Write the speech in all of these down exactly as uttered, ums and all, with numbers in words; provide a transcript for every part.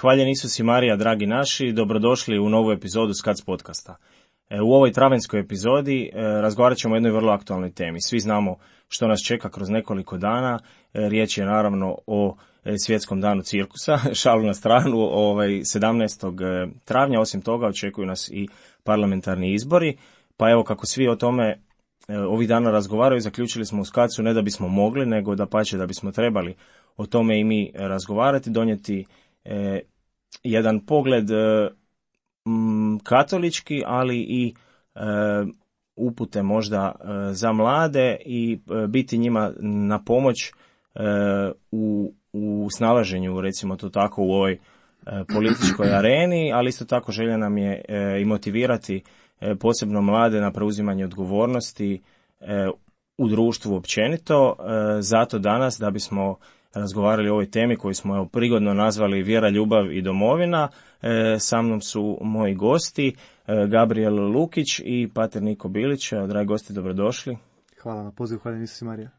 Hvaljen Isus i Marija, dragi naši, dobrodošli u novu epizodu Skac podcasta. U ovoj travenskoj epizodi razgovarat ćemo o jednoj vrlo aktualnoj temi. Svi znamo što nas čeka kroz nekoliko dana. Riječ je naravno o svjetskom danu cirkusa, šalu na stranu, ovaj, sedamnaestog travnja. Osim toga očekuju nas i parlamentarni izbori. Pa evo, kako svi o tome ovih dana razgovaraju, zaključili smo u Skacu ne da bismo mogli, nego da pače da bismo trebali o tome i mi razgovarati, donijeti e, jedan pogled e, m, katolički, ali i e, upute možda e, za mlade i e, biti njima na pomoć e, u, u snalaženju, recimo to tako, u ovoj e, političkoj areni, ali isto tako želja nam je e, i motivirati e, posebno mlade na preuzimanje odgovornosti e, u društvu općenito. E, zato danas, da bismo razgovarali o ovoj temi koju smo evo, prigodno nazvali Vjera, ljubav i domovina, e, sa mnom su moji gosti, e, Gabriel Lukić i pater Niko Bilić. Dragi gosti, dobrodošli. Hvala na pozivu, hvaljen Isus i Marija.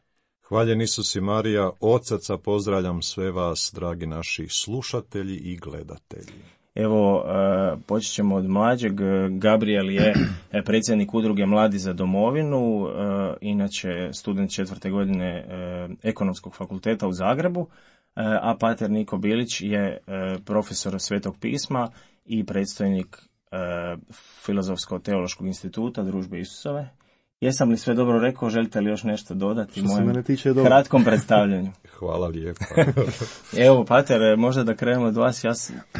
Hvaljen Isus i Marija, od srca pozdravljam sve vas, dragi naši slušatelji i gledatelji. Evo, počet ćemo od mlađeg. Gabriel je predsjednik udruge Mladi za domovinu, inače student četvrte godine Ekonomskog fakulteta u Zagrebu, a pater Niko Bilić je profesor Svetog pisma i predstojnik Filozofsko-teološkog instituta Družbe Isusove. Jesam li sve dobro rekao, želite li još nešto dodati mojem kratkom predstavljanju? Hvala lijepa. Evo, pater, možda da krenemo od vas. Ja,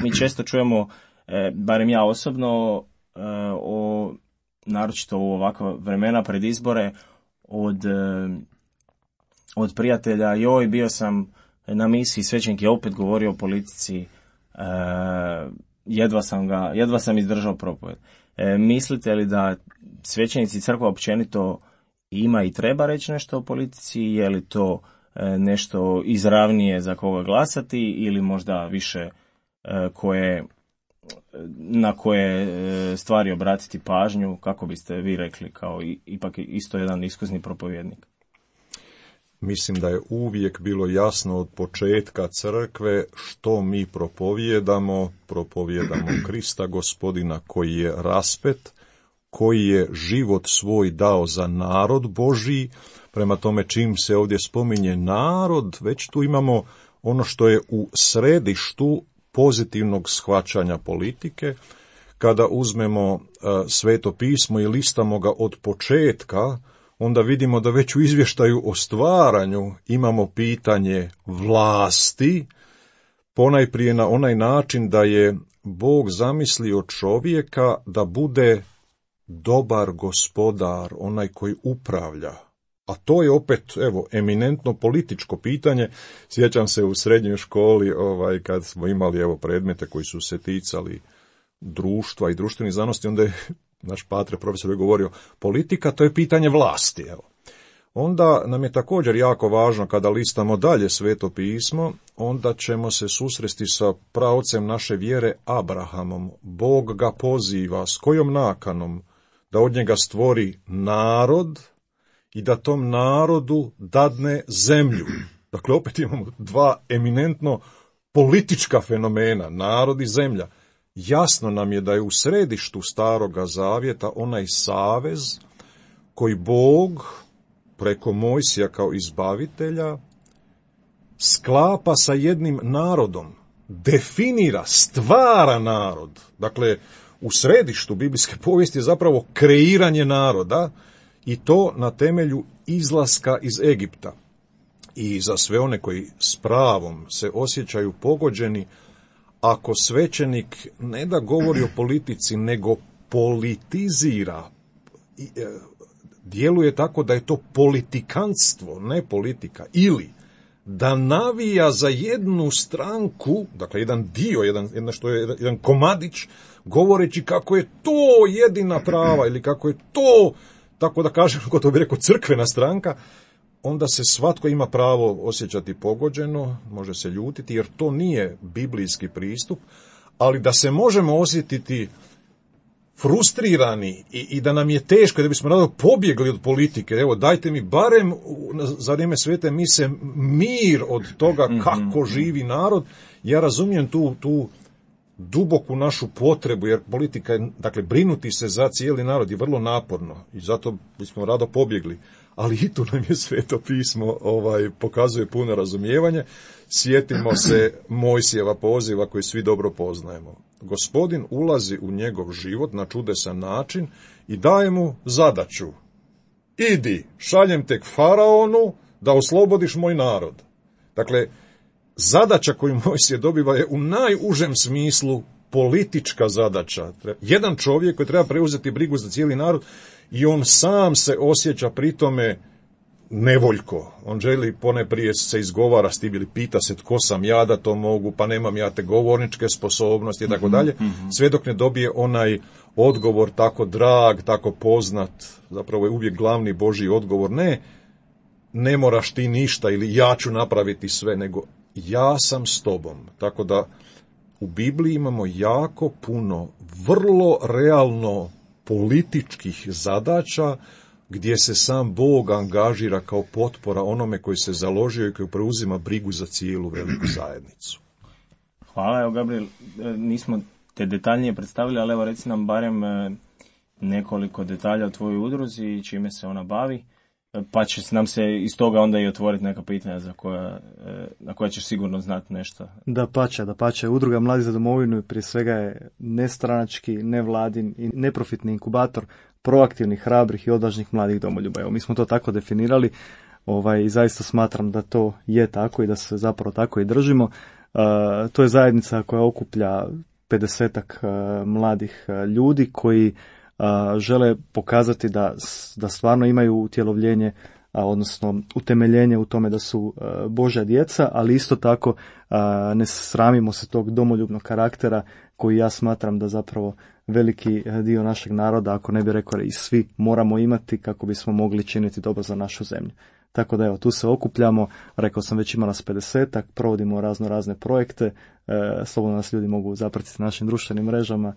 mi često čujemo, e, barem ja osobno, e, o, naročito u ovakva vremena pred izbore, od, e, od prijatelja, joj, bio sam na misiji, svećenik je opet govorio o politici, e, jedva sam ga, jedva sam izdržao propoved. E, mislite li da svećenici, crkva općenito ima i treba reći nešto o politici? Je li to e, nešto izravnije za koga glasati ili možda više e, koje, na koje e, stvari obratiti pažnju? Kako biste vi rekli, kao i, ipak isto jedan iskusni propovjednik? Mislim da je uvijek bilo jasno od početka crkve što mi propovijedamo. Propovijedamo Krista Gospodina koji je raspet, koji je život svoj dao za narod Božji. Prema tome, čim se ovdje spominje narod, već tu imamo ono što je u središtu pozitivnog shvaćanja politike. Kada uzmemo uh, Sveto pismo i listamo ga od početka, onda vidimo da već u izvještaju o stvaranju imamo pitanje vlasti, ponajprije na onaj način da je Bog zamislio čovjeka da bude dobar gospodar, onaj koji upravlja. A to je opet, evo, eminentno političko pitanje. Sjećam se u srednjoj školi, ovaj, kad smo imali, evo, predmete koji su se ticali društva i društvenih znanosti, onda je naš patre profesor je govorio, politika to je pitanje vlasti, evo. Onda nam je također jako važno kada listamo dalje Sveto pismo, onda ćemo se susresti sa praocem naše vjere Abrahamom. Bog ga poziva, s kojom nakanom? Da od njega stvori narod i da tom narodu dadne zemlju. Dakle, opet imamo dva eminentno politička fenomena, narod i zemlja. Jasno nam je da je u središtu Staroga Zavjeta onaj savez koji Bog preko Mojsija kao izbavitelja sklapa sa jednim narodom, definira, stvara narod. Dakle, u središtu biblijske povijesti je zapravo kreiranje naroda i to na temelju izlaska iz Egipta. I za sve one koji s pravom se osjećaju pogođeni, ako svećenik ne da govori o politici, nego politizira, djeluje tako da je to politikantstvo, ne politika, ili da navija za jednu stranku, dakle jedan dio, jedan, jedna što je jedan komadić, govoreći kako je to jedina prava ili kako je to, tako da kažem, kako to bi rekao, crkvena stranka, onda se svatko ima pravo osjećati pogođeno, može se ljutiti, jer to nije biblijski pristup, ali da se možemo osjetiti frustrirani i, i da nam je teško, da bismo rado pobjegli od politike. Evo, dajte mi barem za vrijeme svete mise mir od toga kako živi narod. Ja razumijem tu, tu duboku našu potrebu, jer politika je, dakle, brinuti se za cijeli narod je vrlo naporno i zato bismo rado pobjegli. Ali i tu nam je Sveto pismo ovaj, pokazuje puno razumijevanje. Sjetimo se Mojsijeva poziva koji svi dobro poznajemo. Gospodin ulazi u njegov život na čudesan način i daje mu zadaću. Idi, šaljem te k faraonu da oslobodiš moj narod. Dakle, zadaća koju Mojsije dobiva je u najužem smislu politička zadaća. Jedan čovjek koji treba preuzeti brigu za cijeli narod i on sam se osjeća pri tome nevoljko. On želi poneprije se izgovara s tim ili pita se tko sam ja da to mogu, pa nemam ja te govorničke sposobnosti i tako dalje, sve dok ne dobije onaj odgovor tako drag, tako poznat, zapravo je uvijek glavni Božji odgovor, ne, ne moraš ti ništa ili ja ću napraviti sve, nego ja sam s tobom. Tako da u Bibliji imamo jako puno vrlo realno političkih zadaća gdje se sam Bog angažira kao potpora onome koji se založio i koji preuzima brigu za cijelu veliku zajednicu. Hvala, evo Gabriel, nismo te detaljnije predstavili, ali evo reci nam barem nekoliko detalja o tvojoj udruzi i čime se ona bavi, pa će nam se iz toga onda i otvoriti neka pitanja za koja, na koja ćeš sigurno znati nešto. Da pače, da pače. Udruga Mladi za domovinu prije svega je nestranački, nevladin i neprofitni inkubator proaktivnih, hrabrih i odvažnih mladih domoljuba. Evo, mi smo to tako definirali ovaj, i zaista smatram da to je tako i da se zapravo tako i držimo. Uh, to je zajednica koja okuplja pedesetak uh, mladih uh, ljudi koji uh, žele pokazati da, da stvarno imaju utjelovljenje, uh, odnosno utemeljenje u tome da su uh, Božja djeca, ali isto tako uh, ne sramimo se tog domoljubnog karaktera koji ja smatram da zapravo veliki dio našeg naroda, ako ne bi rekao i svi, moramo imati kako bismo mogli činiti dobro za našu zemlju. Tako da evo, tu se okupljamo, rekao sam već ima nas pedesetak, provodimo razno razne projekte, e, slobodno nas ljudi mogu zapratiti našim društvenim mrežama,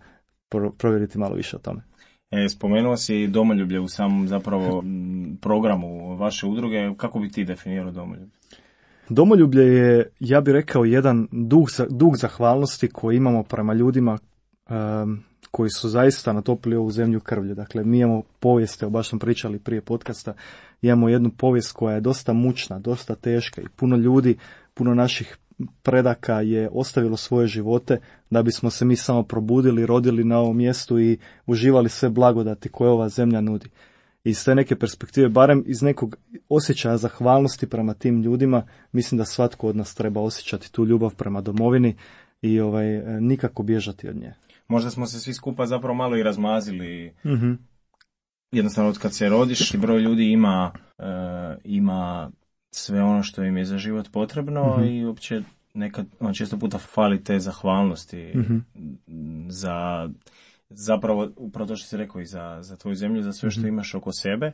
pro, provjeriti malo više o tome. E, spomenuo si domoljublje u samom zapravo programu vaše udruge, kako bi ti definirao domoljublje? Domoljublje je, ja bih rekao, jedan dug, dug zahvalnosti koji imamo prema ljudima um, koji su zaista natopili ovu zemlju krvlju. Dakle, mi imamo povijest, evo baš smo pričali prije podcasta, imamo jednu povijest koja je dosta mučna, dosta teška i puno ljudi, puno naših predaka je ostavilo svoje živote da bismo se mi samo probudili, rodili na ovom mjestu i uživali sve blagodati koje ova zemlja nudi. I iz te neke perspektive, barem iz nekog osjećaja zahvalnosti prema tim ljudima, mislim da svatko od nas treba osjećati tu ljubav prema domovini i ovaj, nikako bježati od nje. Možda smo se svi skupa zapravo malo i razmazili. Mm-hmm. Jednostavno, od kad se rodiš, broj ljudi ima, uh, ima sve ono što im je za život potrebno, mm-hmm. i uopće nekad, on često puta fali te zahvalnosti, mm-hmm. za zapravo, upravo to što si rekao, i za, za tvoju zemlju, za sve što mm-hmm. imaš oko sebe.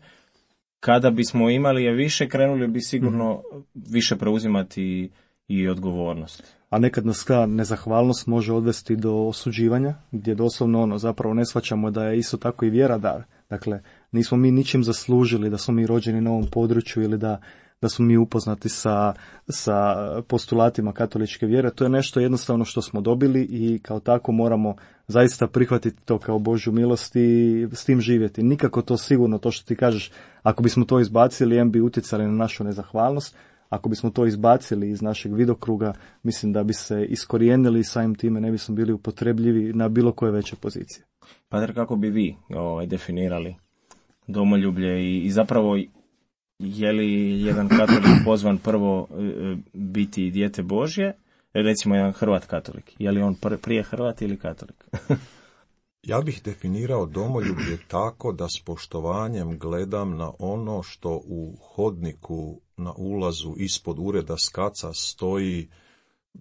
Kada bismo imali je više, krenuli bi sigurno mm-hmm. više preuzimati i odgovornost. A nekad nas ta nezahvalnost može odvesti do osuđivanja, gdje doslovno ono zapravo ne shvaćamo da je isto tako i vjera dar. Dakle, nismo mi ničim zaslužili da smo mi rođeni na ovom području ili da, da smo mi upoznati sa, sa postulatima katoličke vjere. To je nešto jednostavno što smo dobili i kao tako moramo zaista prihvatiti to kao Božju milost i s tim živjeti. Nikako to sigurno, to što ti kažeš, ako bismo to izbacili, em bi utjecali na našu nezahvalnost. Ako bismo to izbacili iz našeg vidokruga, mislim da bi se iskorijenili i samim time ne bismo bili upotrebljivi na bilo koje veće pozicije. Pater, kako bi vi ovaj, definirali domoljublje i, i zapravo je li jedan katolik pozvan prvo e, biti dijete Božje, recimo jedan Hrvat katolik, je li on prije Hrvat ili katolik? Ja bih definirao domoljublje tako da s poštovanjem gledam na ono što u hodniku na ulazu ispod ureda skaca stoji,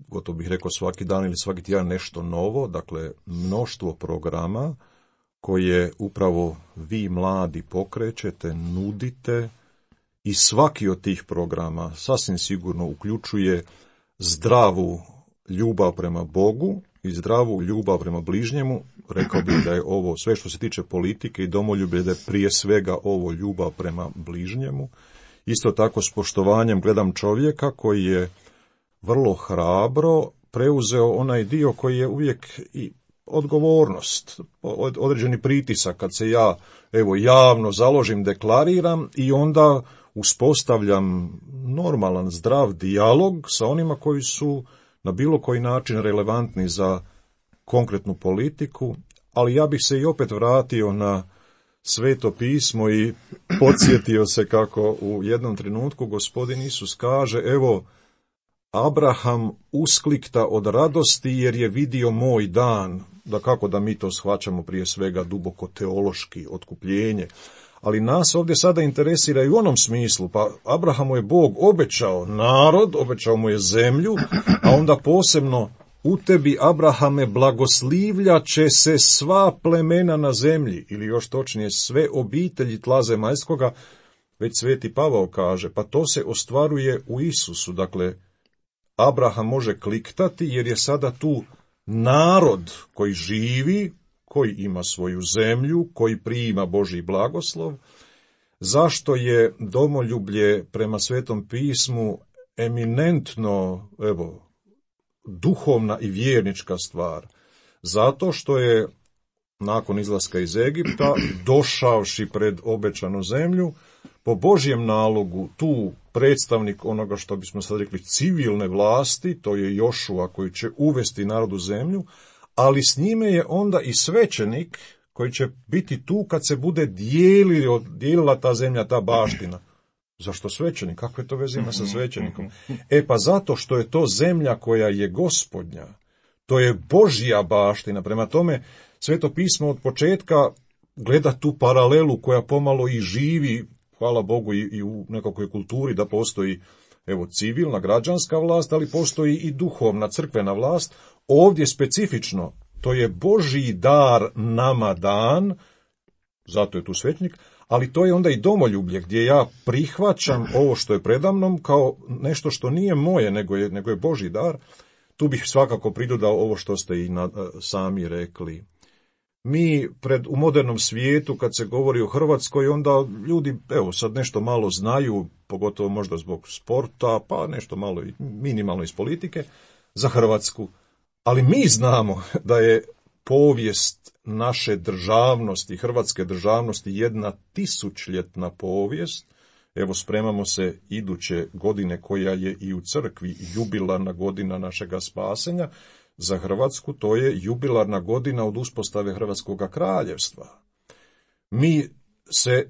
gotovo bih rekao svaki dan ili svaki tjedan nešto novo, dakle mnoštvo programa koje upravo vi mladi pokrećete, nudite i svaki od tih programa sasvim sigurno uključuje zdravu ljubav prema Bogu i zdravu ljubav prema bližnjemu. Rekao bih da je ovo sve što se tiče politike i domoljublje, da je prije svega ovo ljubav prema bližnjemu. Isto tako s poštovanjem gledam čovjeka koji je vrlo hrabro preuzeo onaj dio koji je uvijek i odgovornost, određeni pritisak kad se ja evo javno založim, deklariram i onda uspostavljam normalan, zdrav dijalog sa onima koji su na bilo koji način relevantni za konkretnu politiku, ali ja bih se i opet vratio na Sveto pismo i podsjetio se kako u jednom trenutku gospodin Isus kaže, evo, Abraham usklikta od radosti jer je vidio moj dan. Da kako da mi to shvaćamo prije svega duboko teološki, otkupljenje. Ali nas ovdje sada interesira i u onom smislu, pa Abrahamu je Bog obećao narod, obećao mu je zemlju, a onda posebno u tebi, Abrahame, blagoslivlja će se sva plemena na zemlji, ili još točnije sve obitelji tla zemaljskoga, već Sveti Pavao kaže, pa to se ostvaruje u Isusu. Dakle, Abraham može kliktati jer je sada tu narod koji živi, koji ima svoju zemlju, koji prima Božji blagoslov. Zašto je domoljublje prema Svetom pismu eminentno, evo, duhovna i vjernička stvar? Zato što je nakon izlaska iz Egipta, došavši pred obećanu zemlju, po Božjem nalogu tu predstavnik onoga što bismo sad rekli civilne vlasti, to je Jošua koji će uvesti narod u zemlju, ali s njime je onda i svećenik koji će biti tu kad se bude dijelila, dijelila ta zemlja, ta baština. Zašto svećenik? Kakve to veze ima sa svećenikom? E pa zato što je to zemlja koja je Gospodnja. To je Božja baština. Prema tome, Sveto pismo od početka gleda tu paralelu koja pomalo i živi, hvala Bogu, i, i u nekakvoj kulturi da postoji evo civilna, građanska vlast, ali postoji i duhovna, crkvena vlast. Ovdje specifično, to je Božji dar nama dan, zato je tu svećenik, ali to je onda i domoljublje gdje ja prihvaćam ovo što je predamnom kao nešto što nije moje, nego je, nego je Božji dar. Tu bih svakako pridodao ovo što ste i na, sami rekli. Mi pred, u modernom svijetu, kad se govori o Hrvatskoj, onda ljudi, evo, sad nešto malo znaju, pogotovo možda zbog sporta, pa nešto malo i minimalno iz politike, za Hrvatsku. Ali mi znamo da je povijest naše državnosti, hrvatske državnosti, jedna tisućljetna povijest. Evo, spremamo se iduće godine koja je i u crkvi jubilarna godina našega spasenja. Za Hrvatsku to je jubilarna godina od uspostave Hrvatskoga kraljevstva. Mi se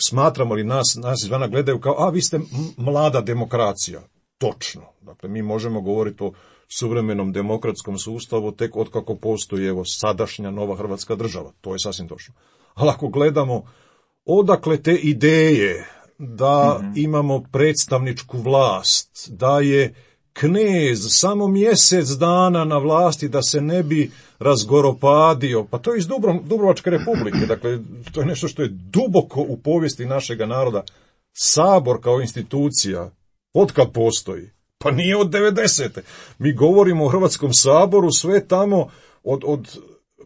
smatramo li nas, nas izvana gledaju kao, a vi ste mlada demokracija. Točno. Dakle, mi možemo govoriti o suvremenom demokratskom sustavu tek od kako postoji evo sadašnja nova Hrvatska država. To je sasvim točno. Ali ako gledamo odakle te ideje da mm-hmm. imamo predstavničku vlast, da je knez samo mjesec dana na vlasti da se ne bi razgoropadio, pa to je iz Dubrovačke republike, dakle to je nešto što je duboko u povijesti našega naroda. Sabor kao institucija, otkad postoji? Pa nije od devedesete. Mi govorimo o Hrvatskom saboru sve tamo od, od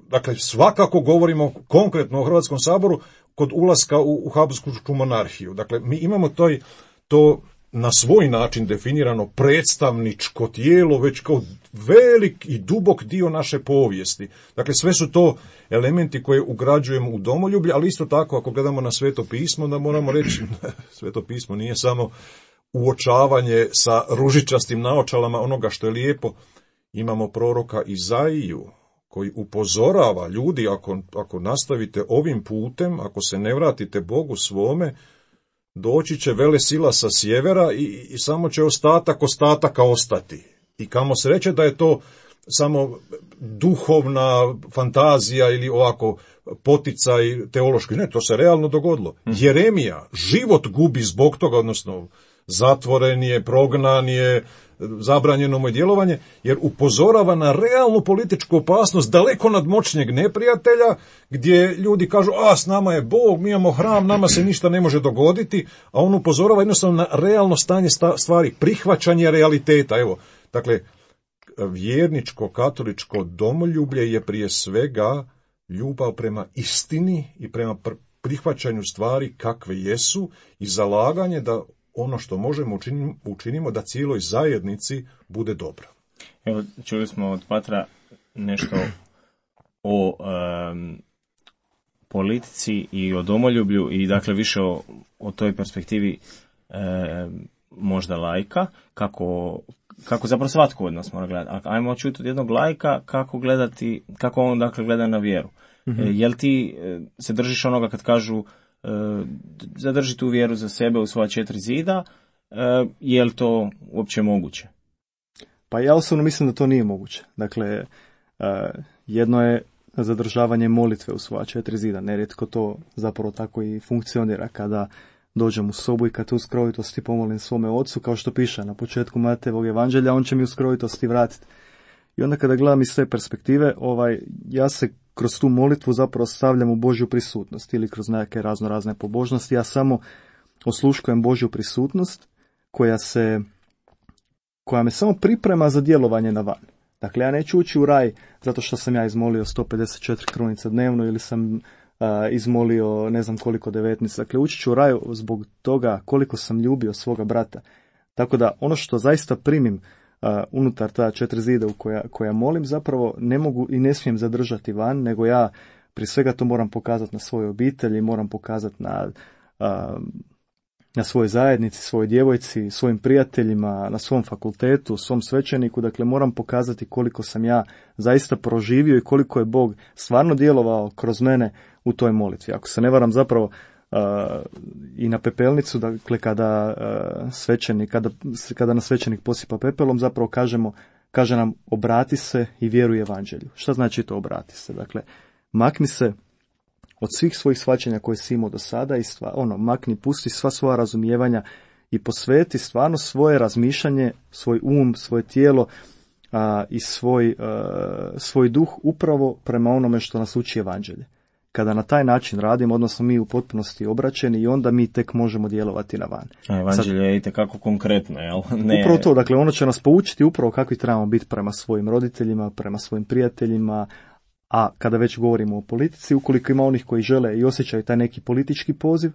dakle svakako govorimo konkretno o Hrvatskom saboru kod ulaska u, u Habsburšku monarhiju. Dakle, mi imamo toj, to na svoj način definirano predstavničko tijelo, već kao velik i dubok dio naše povijesti. Dakle, sve su to elementi koje ugrađujemo u domoljublje, ali isto tako, ako gledamo na Sveto pismo, da moramo reći, Sveto pismo nije samo uočavanje sa ružičastim naočalama onoga što je lijepo. Imamo proroka Izaiju, koji upozorava ljudi, ako, ako nastavite ovim putem, ako se ne vratite Bogu svome, doći će velesila sa sjevera i, i samo će ostatak ostataka ostati. I kamo se reče da je to samo duhovna fantazija ili ovako poticaj teološki. Ne, to se realno dogodilo. Jeremija život gubi zbog toga, odnosno zatvoren je, prognan je, zabranjeno mu je djelovanje, jer upozorava na realnu političku opasnost daleko nadmoćnijeg neprijatelja, gdje ljudi kažu, a s nama je Bog, mi imamo hram, nama se ništa ne može dogoditi, a on upozorava jednostavno na realno stanje stvari, prihvaćanje realiteta. Evo, dakle, vjerničko katoličko domoljublje je prije svega ljubav prema istini i prema prihvaćanju stvari kakve jesu i zalaganje da ono što možemo učinimo, učinimo da cijeloj zajednici bude dobro. Evo, čuli smo od Patra nešto o um, politici i o domoljublju i dakle više o, o toj perspektivi um, možda laika, kako, kako zapravo svatko od nas mora gledati. Ajmo čuti od jednog laika kako gledati, kako on dakle gleda na vjeru. Mm-hmm. E, jel ti e, se držiš onoga kad kažu e, zadrži tu vjeru za sebe u svoja četiri zida, e, je li to uopće moguće? Pa ja osobno mislim da to nije moguće. Dakle, uh, jedno je zadržavanje molitve u svoja četiri zida. Nerijetko to zapravo tako i funkcionira kada dođem u sobu i kad u skrovitosti pomolim svome ocu, kao što piše na početku Matejevog evanđelja, on će mi u skrovitosti vratiti. I onda kada gledam iz te perspektive, ovaj, ja se kroz tu molitvu zapravo stavljam u Božju prisutnost ili kroz neke razno razne pobožnosti. Ja samo osluškujem Božju prisutnost koja se koja me samo priprema za djelovanje na van. Dakle, ja neću ući u raj zato što sam ja izmolio sto pedeset četiri krunica dnevno ili sam uh, izmolio ne znam koliko devetnaest. Dakle, ući ću u raj zbog toga koliko sam ljubio svoga brata. Tako da ono što zaista primim uh, unutar ta četiri zida u koja, koja molim zapravo ne mogu i ne smijem zadržati van, nego ja prije svega to moram pokazati na svojoj obitelji, moram pokazati na uh, na svojoj zajednici, svojoj djevojci, svojim prijateljima, na svom fakultetu, svom svećeniku. Dakle, moram pokazati koliko sam ja zaista proživio i koliko je Bog stvarno djelovao kroz mene u toj molitvi. Ako se ne varam zapravo uh, i na pepelnicu, dakle, kada, uh, svećenik, kada, kada nas svećenik posipa pepelom, zapravo kažemo, kaže nam obrati se i vjeruj evanđelju. Šta znači to obrati se? Dakle, makni se od svih svojih shvaćanja koje si imao do sada i stva, ono, makni, pusti sva svoja razumijevanja i posveti stvarno svoje razmišljanje, svoj um, svoje tijelo a, i svoj, a, svoj duh upravo prema onome što nas uči evanđelje. Kada na taj način radimo, odnosno mi u potpunosti obraćeni i onda mi tek možemo djelovati na van. A evanđelje Sad, je itekako konkretno, jel? Ne... Upravo to, dakle ono će nas poučiti upravo kakvi trebamo biti prema svojim roditeljima, prema svojim prijateljima. A kada već govorimo o politici, ukoliko ima onih koji žele i osjećaju taj neki politički poziv,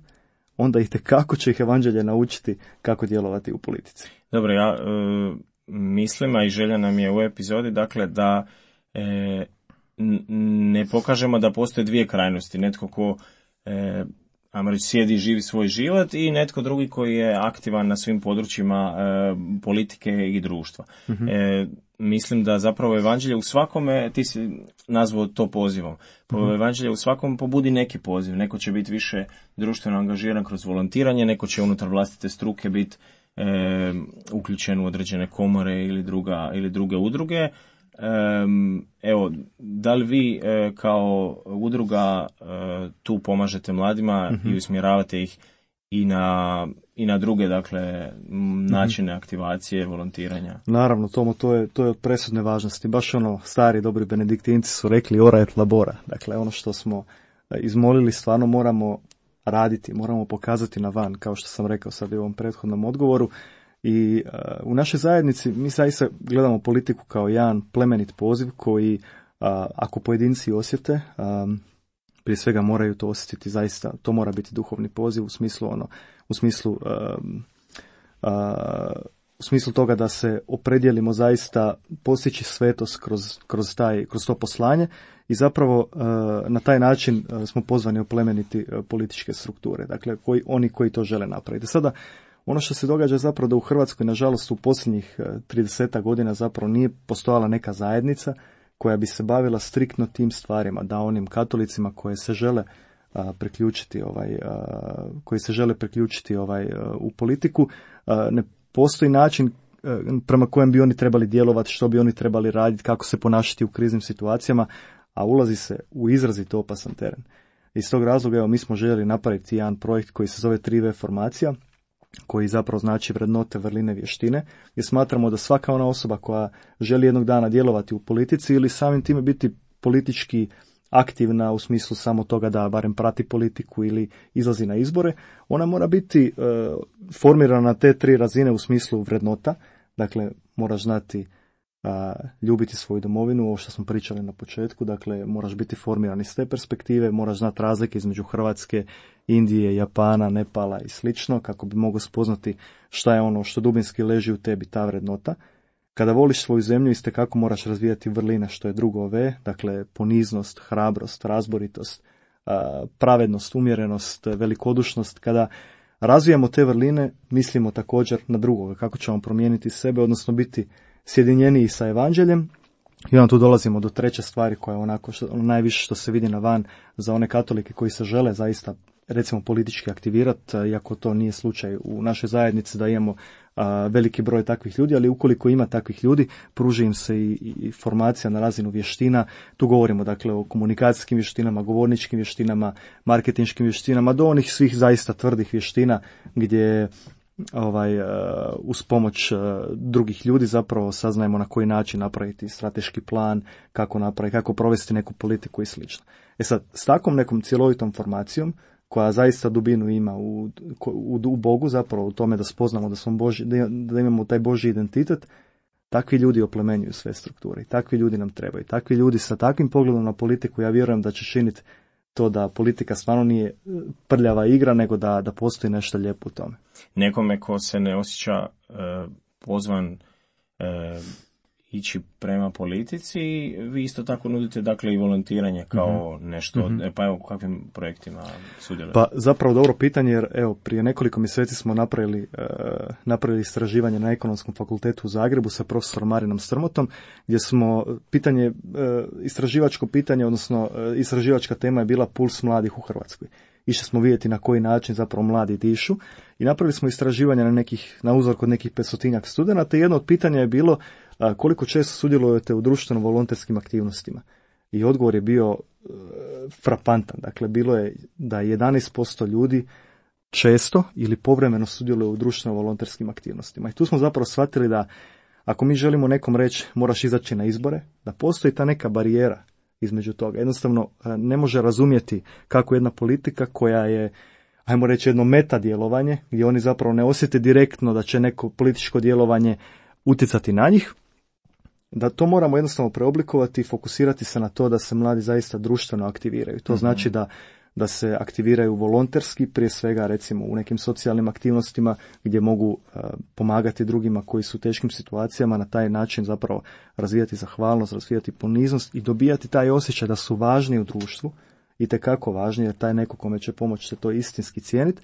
onda itekako će ih evanđelje naučiti kako djelovati u politici. Dobro, ja e, mislim, a i želja nam je u epizodi, dakle, da e, ne pokažemo da postoje dvije krajnosti. Netko ko e, ajmo reći, sjedi i živi svoj život i netko drugi koji je aktivan na svim područjima e, politike i društva. Mm-hmm. E, mislim da zapravo evanđelje u svakome, ti si nazvao to pozivom, mm-hmm. evanđelje u svakom pobudi neki poziv. Neko će biti više društveno angažiran kroz volontiranje, neko će unutar vlastite struke biti e, uključen u određene komore ili, druga, ili druge udruge. Um, evo, da li vi e, kao udruga e, tu pomažete mladima mm-hmm. i usmjeravate ih i na, i na druge, dakle, načine mm-hmm. aktivacije, volontiranja? Naravno, Tomo, to je, to je od presudne važnosti. Baš ono, stari, dobri benediktinci su rekli ora et labora. Dakle, ono što smo izmolili stvarno moramo raditi, moramo pokazati na van, kao što sam rekao sad u ovom prethodnom odgovoru. I uh, u našoj zajednici mi zaista gledamo politiku kao jedan plemenit poziv koji, uh, ako pojedinci osjete, um, prije svega moraju to osjetiti zaista, to mora biti duhovni poziv u smislu ono, u smislu um, uh, u smislu toga da se opredijelimo zaista postići svetost kroz, kroz, taj, kroz to poslanje i zapravo uh, na taj način uh, smo pozvani oplemeniti uh, političke strukture, dakle koji, oni koji to žele napraviti. Sada ono što se događa zapravo da u Hrvatskoj, nažalost, u posljednjih trideset godina zapravo nije postojala neka zajednica koja bi se bavila striktno tim stvarima, da onim katolicima koje se žele a, priključiti ovaj, a, koji se žele priključiti ovaj a, u politiku, a, ne postoji način a, prema kojem bi oni trebali djelovati, što bi oni trebali raditi, kako se ponašati u kriznim situacijama, a ulazi se u izrazito opasan teren. Iz tog razloga, evo, mi smo željeli napraviti jedan projekt koji se zove tri ve formacija, koji zapravo znači vrednote, vrline, vještine, gdje smatramo da svaka ona osoba koja želi jednog dana djelovati u politici ili samim time biti politički aktivna u smislu samo toga da barem prati politiku ili izlazi na izbore, ona mora biti e, formirana na te tri razine u smislu vrednota, dakle moraš znati a, ljubiti svoju domovinu, ovo što smo pričali na početku, dakle moraš biti formiran iz te perspektive, moraš znati razlike između Hrvatske, Indije, Japana, Nepala i slično, kako bi mogao spoznati šta je ono što dubinski leži u tebi, ta vrednota. Kada voliš svoju zemlju, itekako moraš razvijati vrline, što je drugo V, dakle poniznost, hrabrost, razboritost, pravednost, umjerenost, velikodušnost. Kada razvijamo te vrline, mislimo također na drugoga, kako ćemo promijeniti sebe, odnosno biti sjedinjeniji sa evanđeljem. I onda tu dolazimo do treće stvari koja je onako što, najviše što se vidi na van za one katolike koji se žele zaista recimo politički aktivirati, iako to nije slučaj u našoj zajednici da imamo a, veliki broj takvih ljudi, ali ukoliko ima takvih ljudi, pruži im se i, i formacija na razinu vještina. Tu govorimo dakle o komunikacijskim vještinama, govorničkim vještinama, marketinškim vještinama, do onih svih zaista tvrdih vještina gdje ovaj uz pomoć drugih ljudi zapravo saznajemo na koji način napraviti strateški plan, kako napraviti, kako provesti neku politiku i slično. E sad, s takvom nekom cjelovitom formacijom koja zaista dubinu ima u, u, u Bogu, zapravo u tome da spoznamo da smo Boži, da imamo taj Božji identitet, takvi ljudi oplemenjuju sve strukture i takvi ljudi nam trebaju. Takvi ljudi sa takvim pogledom na politiku, ja vjerujem da će činiti to da politika stvarno nije prljava igra, nego da, da postoji nešto lijepo u tome. Nekome ko se ne osjeća e, pozvan e, ići prema politici, vi isto tako nudite dakle i volontiranje kao mm-hmm. nešto, mm-hmm. E, pa evo u kakvim projektima sudjelujete? Pa zapravo dobro pitanje, jer evo prije nekoliko mjeseci smo napravili, e, napravili istraživanje na Ekonomskom fakultetu u Zagrebu sa profesorom Marinom Strmotom, gdje smo pitanje, e, istraživačko pitanje, odnosno e, istraživačka tema je bila puls mladih u Hrvatskoj. Išli smo vidjeti na koji način zapravo mladi dišu i napravili smo istraživanje na nekih, na uzor kod nekih petstotinjak studenata i jedno od pitanja je bilo a, koliko često sudjelujete u društveno volonterskim aktivnostima. I odgovor je bio e, frapantan. Dakle, bilo je da jedanaest posto ljudi često ili povremeno sudjeluje u društveno volonterskim aktivnostima. I tu smo zapravo shvatili da ako mi želimo nekom reći moraš izaći na izbore, da postoji ta neka barijera između toga. Jednostavno ne može razumjeti kako jedna politika koja je, ajmo reći, jedno meta djelovanje, gdje oni zapravo ne osjete direktno da će neko političko djelovanje utjecati na njih, da to moramo jednostavno preoblikovati i fokusirati se na to da se mladi zaista društveno aktiviraju. To mm-hmm. znači da da se aktiviraju volonterski, prije svega recimo u nekim socijalnim aktivnostima gdje mogu uh, pomagati drugima koji su u teškim situacijama, na taj način zapravo razvijati zahvalnost, razvijati poniznost i dobijati taj osjećaj da su važni u društvu, i tekako važni, jer taj neko kome će pomoći će to istinski cijeniti.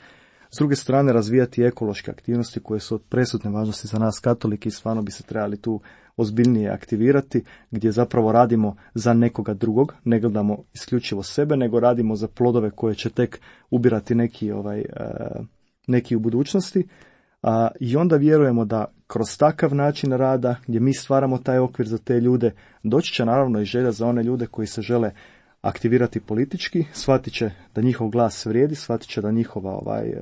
S druge strane, razvijati ekološke aktivnosti koje su od presudne važnosti za nas katolike i stvarno bi se trebali tu ozbiljnije aktivirati, gdje zapravo radimo za nekoga drugog, ne gledamo isključivo sebe, nego radimo za plodove koje će tek ubirati neki, ovaj, neki u budućnosti. A, i onda vjerujemo da kroz takav način rada, gdje mi stvaramo taj okvir za te ljude, doći će naravno i želja za one ljude koji se žele aktivirati politički, shvatit će da njihov glas vrijedi, shvatit će da njihova, ovaj,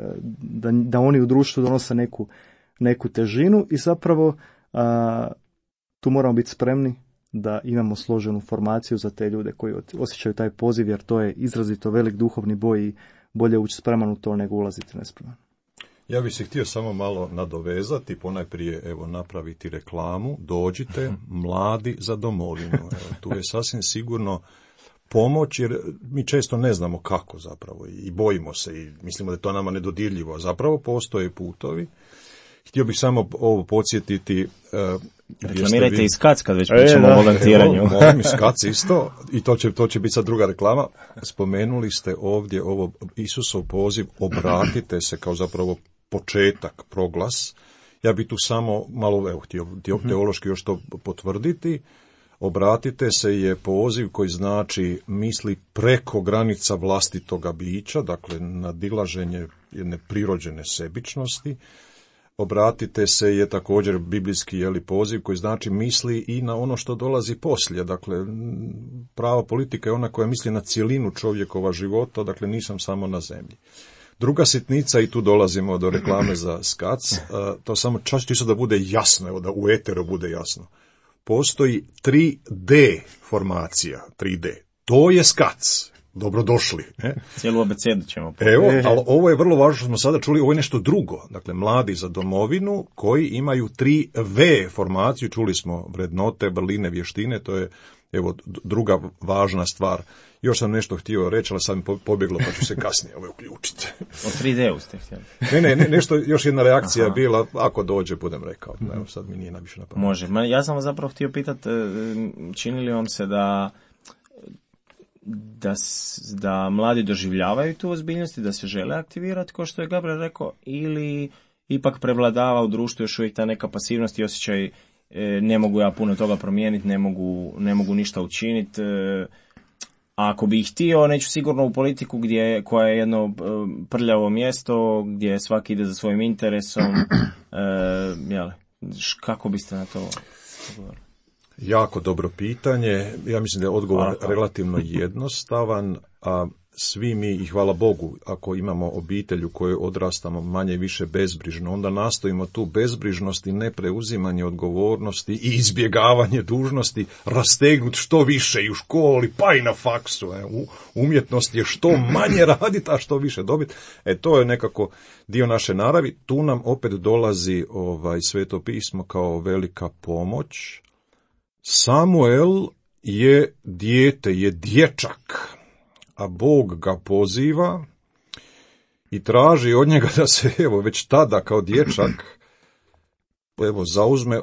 da, da oni u društvu donose neku, neku težinu i zapravo a, tu moramo biti spremni da imamo složenu formaciju za te ljude koji osjećaju taj poziv, jer to je izrazito velik duhovni boj i bolje ući spreman u to nego ulaziti nespreman. Ja bih se htio samo malo nadovezati, ponajprije evo napraviti reklamu, dođite mladi za domovinu. Evo, tu je sasvim sigurno pomoć, jer mi često ne znamo kako zapravo i bojimo se i mislimo da je to nama nedodirljivo, a zapravo postoje putovi. Htio bih samo ovo podsjetiti. Uh, Reklamirajte vi... i Skac kad već pričamo e, o volontiranju. Evo, molim i Skac isto, i to će, to će biti sad druga reklama. Spomenuli ste ovdje ovo Isusov poziv, obratite se kao zapravo početak, proglas. Ja bih tu samo malo evo, htio teološki još to potvrditi. Obratite se je poziv koji znači misli preko granica vlastitoga bića, dakle nadilaženje jedne prirođene sebičnosti. Obratite se je također biblijski je li, poziv koji znači misli i na ono što dolazi poslije. Dakle, prava politika je ona koja misli na cjelinu čovjekova života, dakle nisam samo na zemlji. Druga sitnica, i tu dolazimo do reklame za Skac, to samo čas čisto da bude jasno, evo da u eteru bude jasno. Postoji tri D formacija, tri D. To je Skac. dobrodošli. Ne? Cijelu abecedu ćemo. Evo, ali ovo je vrlo važno što smo sada čuli, ovo je nešto drugo. Dakle, mladi za domovinu koji imaju tri V formaciju, čuli smo vrednote, vrline, vještine, to je evo druga važna stvar. Još sam nešto htio reći, ali sad mi pobjeglo, pa ću se kasnije ovo uključiti. O tri D-u ste htjeli. Ne, ne, ne, nešto, još jedna reakcija je bila, ako dođe, budem rekao. Mm-hmm. Evo, sad mi nije najviše na pamet. Može. Ma, ja sam vas zapravo htio pitati, čini li vam se da, da, da mladi doživljavaju tu ozbiljnost i da se žele aktivirati, kao što je Gabriel rekao, ili ipak prevladava u društvu još uvijek ta neka pasivnost i osjećaj ne mogu ja puno toga promijeniti, ne mogu, ne mogu ništa učiniti. A ako bi ih htio, neću sigurno u politiku gdje, koja je jedno prljavo mjesto, gdje svaki ide za svojim interesom. E, jel, kako biste na to odgovorili? Jako dobro pitanje. Ja mislim da je odgovor hvala, relativno jednostavan, a svi mi, i hvala Bogu, ako imamo obitelj u kojoj odrastamo manje više bezbrižno, onda nastojimo tu bezbrižnost i nepreuzimanje odgovornosti i izbjegavanje dužnosti rastegnuti što više i u školi, pa i na faksu. E, u umjetnosti je što manje raditi, a što više dobiti. E, to je nekako dio naše naravi. Tu nam opet dolazi ovaj Sveto pismo kao velika pomoć. Samuel je dijete, je dječak, a Bog ga poziva i traži od njega da se, evo, već tada kao dječak, evo, zauzme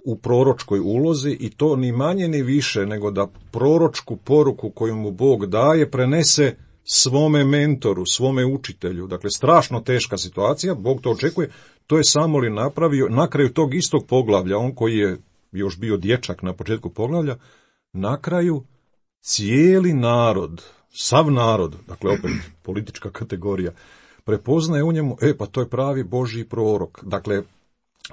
u proročkoj ulozi i to ni manje ni više nego da proročku poruku koju mu Bog daje prenese svome mentoru, svome učitelju. Dakle, strašno teška situacija, Bog to očekuje, to je Samuel napravio na kraju tog istog poglavlja, on koji je još bio dječak na početku poglavlja, na kraju cijeli narod, sav narod, dakle opet politička kategorija, prepoznaje u njemu, e pa to je pravi Božji prorok. Dakle,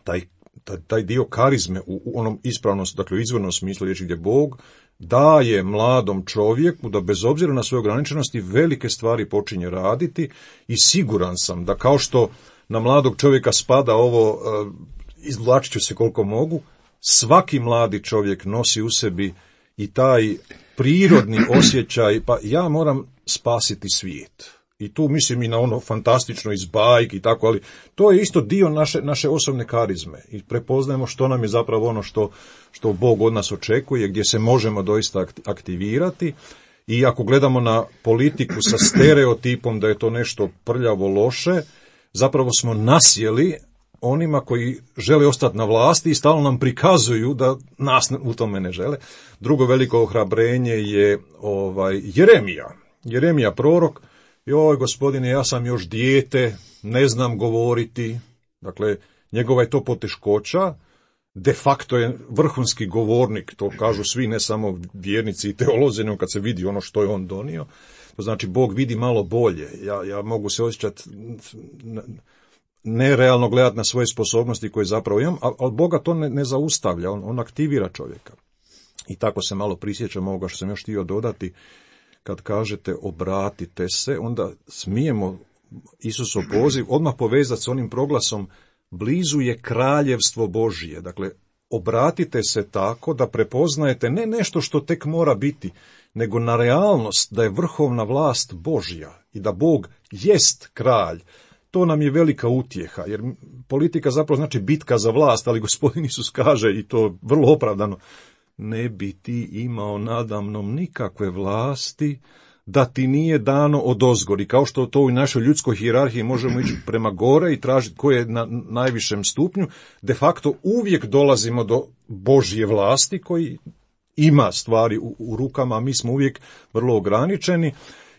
taj, taj, taj dio karizme u, u onom ispravnom, dakle u izvornom smislu riječi gdje Bog daje mladom čovjeku da bez obzira na svoje ograničenosti velike stvari počinje raditi i siguran sam da kao što na mladog čovjeka spada ovo, uh, izvlačit ću se koliko mogu, svaki mladi čovjek nosi u sebi i taj prirodni osjećaj, pa ja moram spasiti svijet. I tu mislim i na ono fantastično iz bajki i tako, ali to je isto dio naše, naše osobne karizme. I prepoznajemo što nam je zapravo ono što, što Bog od nas očekuje, gdje se možemo doista aktivirati. I ako gledamo na politiku sa stereotipom da je to nešto prljavo loše, zapravo smo nasjeli onima koji žele ostati na vlasti i stalno nam prikazuju da nas u tome ne žele. Drugo veliko ohrabrenje je ovaj Jeremija. Jeremija prorok, joj gospodine, ja sam još dijete, ne znam govoriti. Dakle, njegova je to poteškoća, de facto je vrhunski govornik, to kažu svi, ne samo vjernici i teolozi, nego kad se vidi ono što je on donio. To znači, Bog vidi malo bolje. Ja, ja mogu se osjećati nerealno gledati na svoje sposobnosti koje zapravo imam, ali Boga to ne, ne zaustavlja, on, on aktivira čovjeka. I tako se malo prisjećam ovoga što sam još htio dodati, kad kažete obratite se, onda smijemo Isusov poziv odmah povezati s onim proglasom blizu je kraljevstvo Božije. Dakle, obratite se tako da prepoznajete ne nešto što tek mora biti, nego na realnost da je vrhovna vlast Božja i da Bog jest kralj. To nam je velika utjeha, jer politika zapravo znači bitka za vlast, ali Gospodin Isus kaže, i to vrlo opravdano, ne bi ti imao nadamnom nikakve vlasti da ti nije dano odozgor. I kao što to u našoj ljudskoj hijerarhiji možemo ići prema gore i tražiti ko je na najvišem stupnju, de facto uvijek dolazimo do Božje vlasti koji ima stvari u, u rukama, a mi smo uvijek vrlo ograničeni.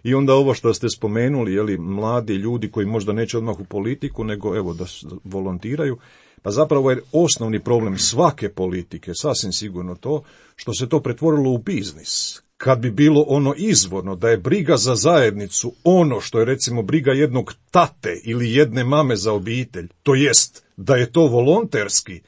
I onda ovo što ste spomenuli, jeli, mladi ljudi koji možda neće odmah u politiku, nego evo da volontiraju, pa zapravo je osnovni problem svake politike, sasvim sigurno to, što se to pretvorilo u biznis. Kad bi bilo ono izvorno, da je briga za zajednicu ono što je recimo briga jednog tate ili jedne mame za obitelj, to jest da je to volonterski,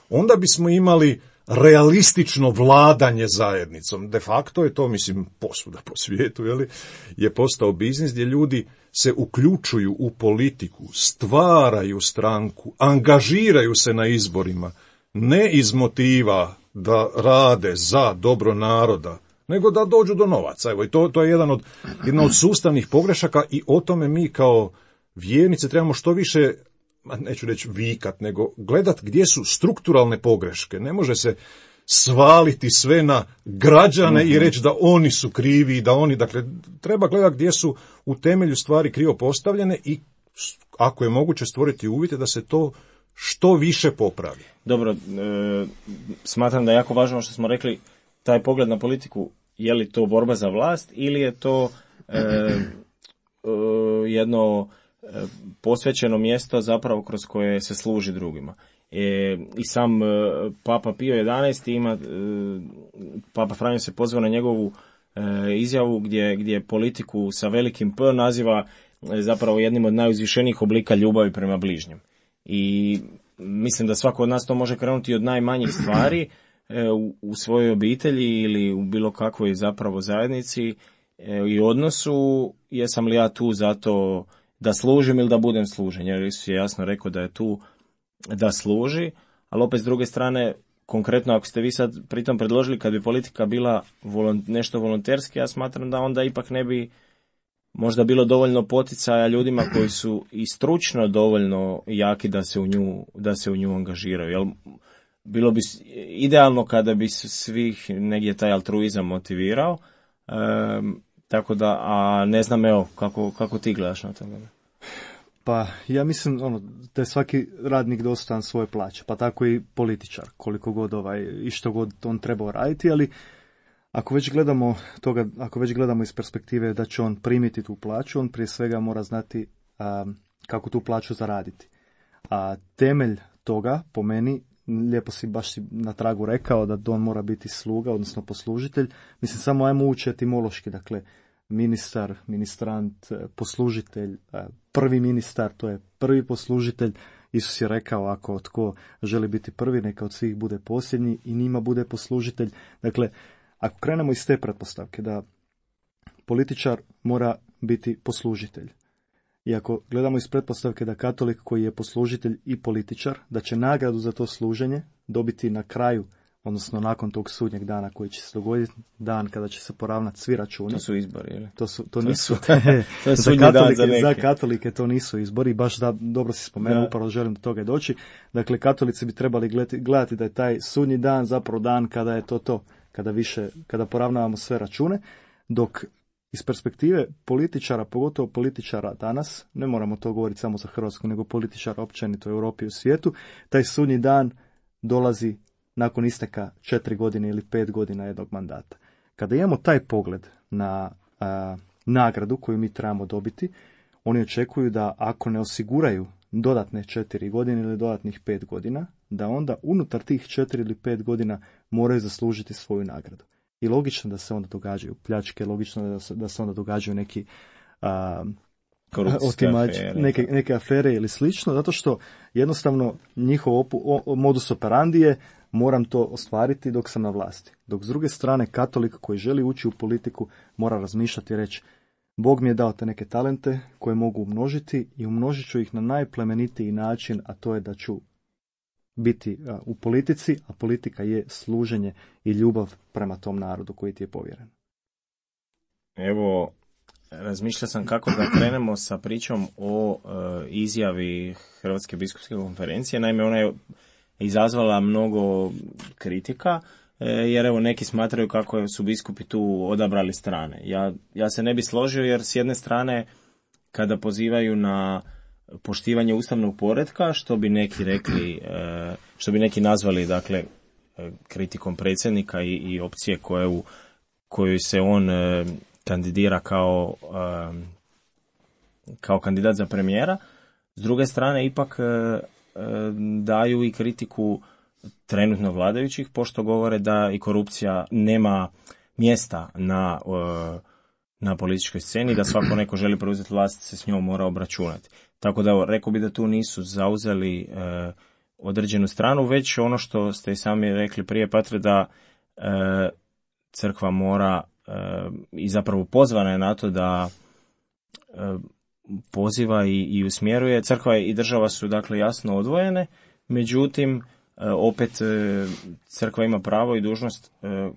onda bismo imali realistično vladanje zajednicom. De facto je to, mislim, posvuda po svijetu, jeli, je postao biznis gdje ljudi se uključuju u politiku, stvaraju stranku, angažiraju se na izborima, ne iz motiva da rade za dobro naroda, nego da dođu do novaca. Evo, i to, to je jedan od, jedna od sustavnih pogrešaka i o tome mi kao vjernici trebamo što više, neću reći vikat, nego gledat gdje su strukturalne pogreške. Ne može se svaliti sve na građane mm-hmm. i reći da oni su krivi, da oni, dakle, treba gledati gdje su u temelju stvari krivo postavljene i ako je moguće stvoriti uvjete da se to što više popravi. Dobro, e, smatram da je jako važno što smo rekli, taj pogled na politiku, je li to borba za vlast ili je to e, e, jedno e, posvećeno mjesto zapravo kroz koje se služi drugima. E, I sam e, Papa Pio jedanaesti ima, e, Papa Franjo se pozvao na njegovu e, izjavu gdje, gdje politiku sa velikim P naziva e, zapravo jednim od najuzvišenijih oblika ljubavi prema bližnjem. I mislim da svako od nas to može krenuti od najmanjih stvari e, u, u svojoj obitelji ili u bilo kakvoj zapravo zajednici e, i odnosu, jesam li ja tu zato da služim ili da budem služen, jer Isus je jasno rekao da je tu da služi, ali opet s druge strane, konkretno ako ste vi sad pritom predložili kad bi politika bila volont, nešto volonterski, ja smatram da onda ipak ne bi možda bilo dovoljno poticaja ljudima koji su i stručno dovoljno jaki da se u nju, da se u nju angažiraju. Jel, bilo bi idealno kada bi svih negdje taj altruizam motivirao, e, tako da, a ne znam, evo, kako, kako ti gledaš na to? Pa ja mislim ono, da je svaki radnik dostojan svoje plaće, pa tako i političar, koliko god ovaj, i što god on trebao raditi, ali ako već gledamo toga, ako već gledamo iz perspektive da će on primiti tu plaću, on prije svega mora znati a, kako tu plaću zaraditi. A temelj toga, po meni, lijepo si baš na tragu rekao da on mora biti sluga, odnosno poslužitelj. Mislim, samo ajmo ući etimološki, dakle, ministar, ministrant, poslužitelj, prvi ministar, to je prvi poslužitelj. Isus je rekao, ako tko želi biti prvi, neka od svih bude posljednji i njima bude poslužitelj. Dakle, ako krenemo iz te pretpostavke da političar mora biti poslužitelj, i ako gledamo iz pretpostavke da katolik koji je poslužitelj i političar, da će nagradu za to služenje dobiti na kraju, odnosno nakon tog sudnjeg dana koji će se dogoditi, dan kada će se poravnati svi računi. To su izbori, ili? To, su, to, to nisu. Su, to je za, katolike, za, za katolike to nisu izbori, baš da, dobro si spomenuo, upravo želim do toga doći. Dakle, katolici bi trebali gledati, gledati da je taj sudnji dan zapravo dan kada je to to, kada više, kada poravnavamo sve račune, dok iz perspektive političara, pogotovo političara danas, ne moramo to govoriti samo za Hrvatsku, nego političara općenito u Europi i u svijetu, taj sudnji dan dolazi nakon isteka četiri godine ili pet godina jednog mandata. Kada imamo taj pogled na a, nagradu koju mi trebamo dobiti, oni očekuju da ako ne osiguraju dodatne četiri godine ili dodatnih pet godina, da onda unutar tih četiri ili pet godina moraju zaslužiti svoju nagradu. I logično da se onda događaju pljačke, logično da se, da se onda događaju neki a, otimač, afere. Neke, neke afere ili slično, zato što jednostavno njihov opu, o, modus operandi je moram to ostvariti dok sam na vlasti. Dok s druge strane katolik koji želi ući u politiku mora razmišljati i reći Bog mi je dao te neke talente koje mogu umnožiti i umnožit ću ih na najplemenitiji način, a to je da ću biti u politici, a politika je služenje i ljubav prema tom narodu koji ti je povjeren. Evo, razmišljao sam kako da krenemo sa pričom o e, izjavi Hrvatske biskupske konferencije. Naime, ona je izazvala mnogo kritika, e, jer evo neki smatraju kako su biskupi tu odabrali strane. Ja, ja se ne bi složio, jer s jedne strane kada pozivaju na poštivanje ustavnog poretka, što bi neki rekli, e, što bi neki nazvali, dakle, kritikom predsjednika i, i opcije koje u kojoj se on e, kandidira kao, e, kao kandidat za premijera. S druge strane, ipak e, e, daju i kritiku trenutno vladajućih, pošto govore da i korupcija nema mjesta na, e, na političkoj sceni, da svako neko želi preuzeti vlast se s njom mora obračunati. Tako da, rekao bi da tu nisu zauzeli e, određenu stranu, već ono što ste i sami rekli prije, Patre, da e, crkva mora e, i zapravo pozvana je na to da e, poziva i, i usmjeruje. Crkva i država su dakle jasno odvojene, međutim e, opet e, crkva ima pravo i dužnost e,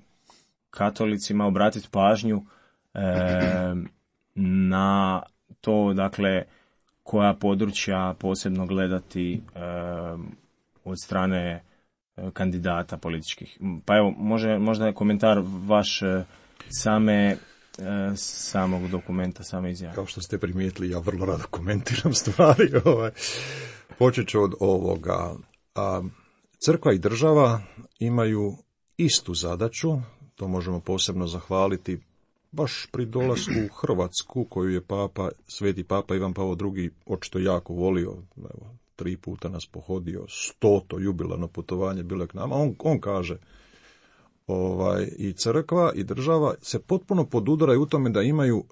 katolicima obratiti pažnju e, na to, dakle, koja područja posebno gledati e, od strane kandidata političkih. Pa evo, može, možda je komentar vaš e, same e, samog dokumenta, same izjave. Kao što ste primijetili, ja vrlo rado komentiram stvari. Ovaj. Počet ću od ovoga. A, crkva i država imaju istu zadaću, to možemo posebno zahvaliti baš pri dolasku u Hrvatsku, koju je papa, sveti papa Ivan Pavao drugi očito jako volio. Evo, tri puta nas pohodio, stoto jubilarno putovanje bilo je k nama. On, on kaže, ovaj, i crkva i država se potpuno podudaraju u tome da imaju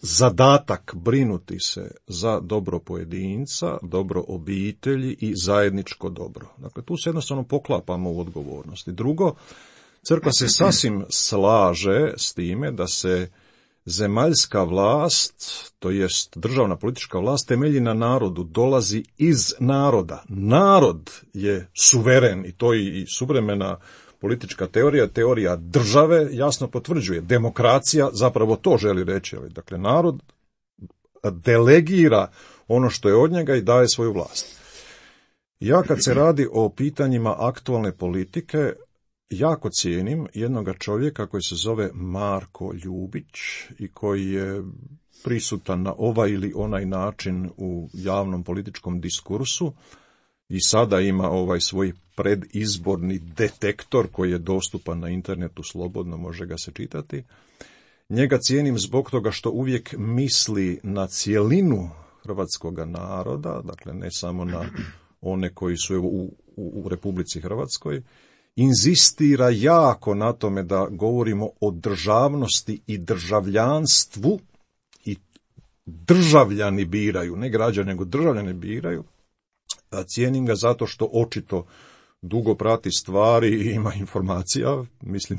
zadatak brinuti se za dobro pojedinca, dobro obitelji i zajedničko dobro. Dakle, tu se jednostavno poklapamo u odgovornosti. Drugo, crkva se sasvim slaže s time da se zemaljska vlast, to jest državna politička vlast, temelji na narodu, dolazi iz naroda. Narod je suveren i to i suvremena politička teorija, teorija države jasno potvrđuje. Demokracija zapravo to želi reći. Dakle, narod delegira ono što je od njega i daje svoju vlast. Ja kad se radi o pitanjima aktualne politike, jako cijenim jednoga čovjeka koji se zove Marko Ljubić i koji je prisutan na ovaj ili onaj način u javnom političkom diskursu i sada ima ovaj svoj predizborni detektor koji je dostupan na internetu slobodno, može ga se čitati. Njega cijenim zbog toga što uvijek misli na cjelinu hrvatskoga naroda, dakle ne samo na one koji su evo, u, u, u Republici Hrvatskoj. Inzistira jako na tome da govorimo o državnosti i državljanstvu i državljani biraju, ne građani, nego državljani biraju. A cijenim ga zato što očito dugo prati stvari i ima informacija, mislim,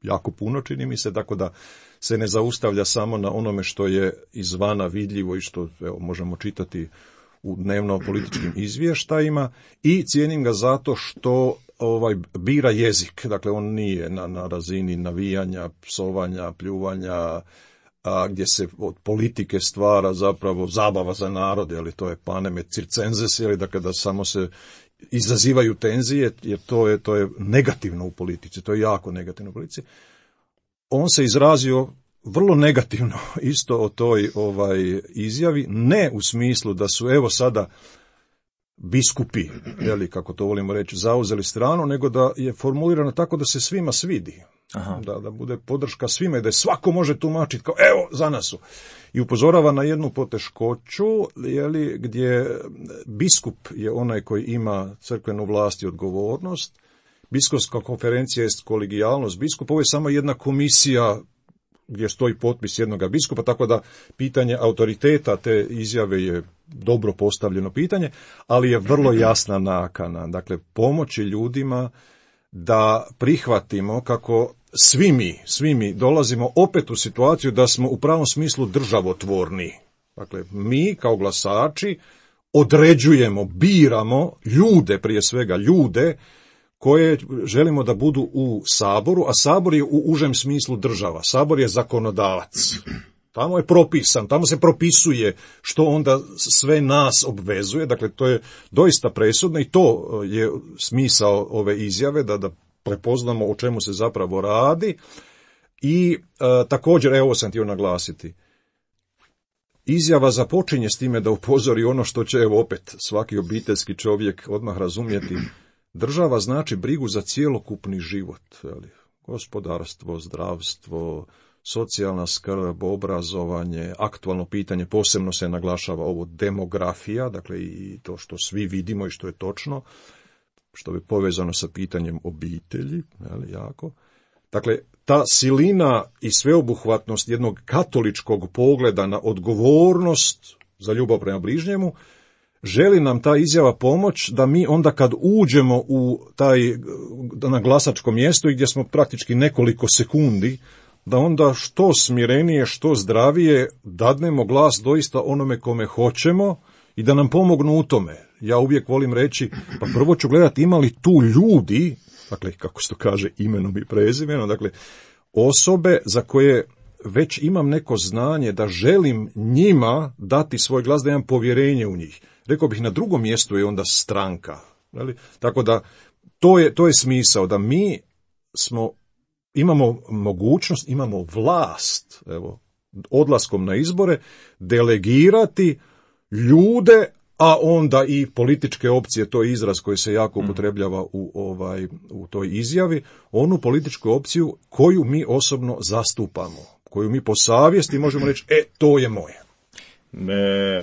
jako puno čini mi se, tako da se ne zaustavlja samo na onome što je izvana vidljivo i što evo, možemo čitati u dnevno političkim izvještajima i cijenim ga zato što ovaj bira jezik, dakle on nije na, na razini navijanja, psovanja, pljuvanja, a gdje se od politike stvara zapravo zabava za narod, ali to je panem et circenses, ili dakle da samo se izazivaju tenzije, jer to je, to je negativno u politici, to je jako negativno u politici. On se izrazio vrlo negativno isto o toj ovaj izjavi, ne u smislu da su evo sada biskupi, jeli, kako to volimo reći, zauzeli stranu, nego da je formulirano tako da se svima svidi. Aha. Da, da bude podrška svima i da je svako može tumačiti kao evo za nas su. I upozorava na jednu poteškoću, jeli, gdje biskup je onaj koji ima crkvenu vlast i odgovornost. Biskupska konferencija je kolegijalnost biskupa, ovo je samo jedna komisija gdje stoji potpis jednoga biskupa, tako da pitanje autoriteta te izjave je dobro postavljeno pitanje, ali je vrlo jasna nakana. Dakle, pomoći ljudima da prihvatimo kako svi mi, svi mi dolazimo opet u situaciju da smo u pravom smislu državotvorni. Dakle, mi kao glasači određujemo, biramo ljude, prije svega ljude, koje želimo da budu u Saboru, a Sabor je u užem smislu država. Sabor je zakonodavac. Tamo je propisan, tamo se propisuje što onda sve nas obvezuje. Dakle, to je doista presudno i to je smisao ove izjave, da, da prepoznamo o čemu se zapravo radi. I e, također, evo sam htio naglasiti, izjava započinje s time da upozori ono što će, evo opet, svaki obiteljski čovjek odmah razumjeti. Država znači brigu za cjelokupni život, jeli, gospodarstvo, zdravstvo, socijalna skrb, obrazovanje, aktualno pitanje, posebno se naglašava ovo demografija, dakle i to što svi vidimo i što je točno, što je povezano sa pitanjem obitelji, jeli, jako. Dakle, ta silina i sveobuhvatnost jednog katoličkog pogleda na odgovornost za ljubav prema bližnjemu, želi nam ta izjava pomoć da mi onda kad uđemo u taj, na glasačko mjesto i gdje smo praktički nekoliko sekundi, da onda što smirenije, što zdravije dadnemo glas doista onome kome hoćemo i da nam pomognu u tome. Ja uvijek volim reći, pa prvo ću gledati ima li tu ljudi dakle, kako se to kaže, imenom i prezimenom, dakle, osobe za koje već imam neko znanje da želim njima dati svoj glas, da imam povjerenje u njih. Rekao bih, na drugom mjestu je onda stranka. Tako da, to je, to je smisao, da mi smo, imamo mogućnost, imamo vlast, evo, odlaskom na izbore, delegirati ljude, a onda i političke opcije, to je izraz koji se jako upotrebljava u, ovaj, u toj izjavi, onu političku opciju koju mi osobno zastupamo, koju mi po savjesti možemo reći, e, to je moje. E,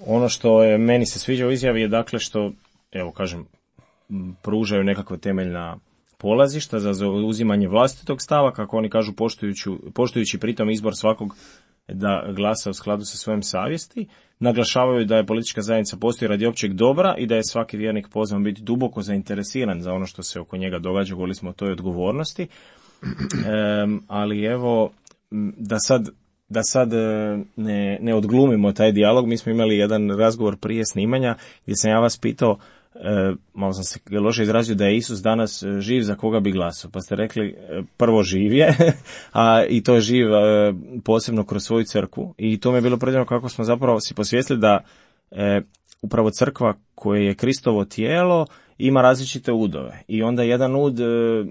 ono što je meni se sviđa u izjavi je dakle što, evo kažem, pružaju nekakva temeljna polazišta za zauzimanje vlastitog stava, kako oni kažu, poštujući, poštujući pritom izbor svakog da glasa u skladu sa svojom savjesti, naglašavaju da je politička zajednica postoji radi općeg dobra i da je svaki vjernik pozvan biti duboko zainteresiran za ono što se oko njega događa, govorili smo o toj odgovornosti, e, ali evo, da sad, da sad ne, ne odglumimo taj dijalog, mi smo imali jedan razgovor prije snimanja gdje sam ja vas pitao, E, malo sam se loše izrazio, da je Isus danas živ, za koga bi glasao, pa ste rekli e, prvo živ je, a i to je živ e, posebno kroz svoju crkvu, i to mi je bilo predivno kako smo zapravo si posvijestili da e, upravo crkva koja je Kristovo tijelo ima različite udove, i onda jedan ud, e,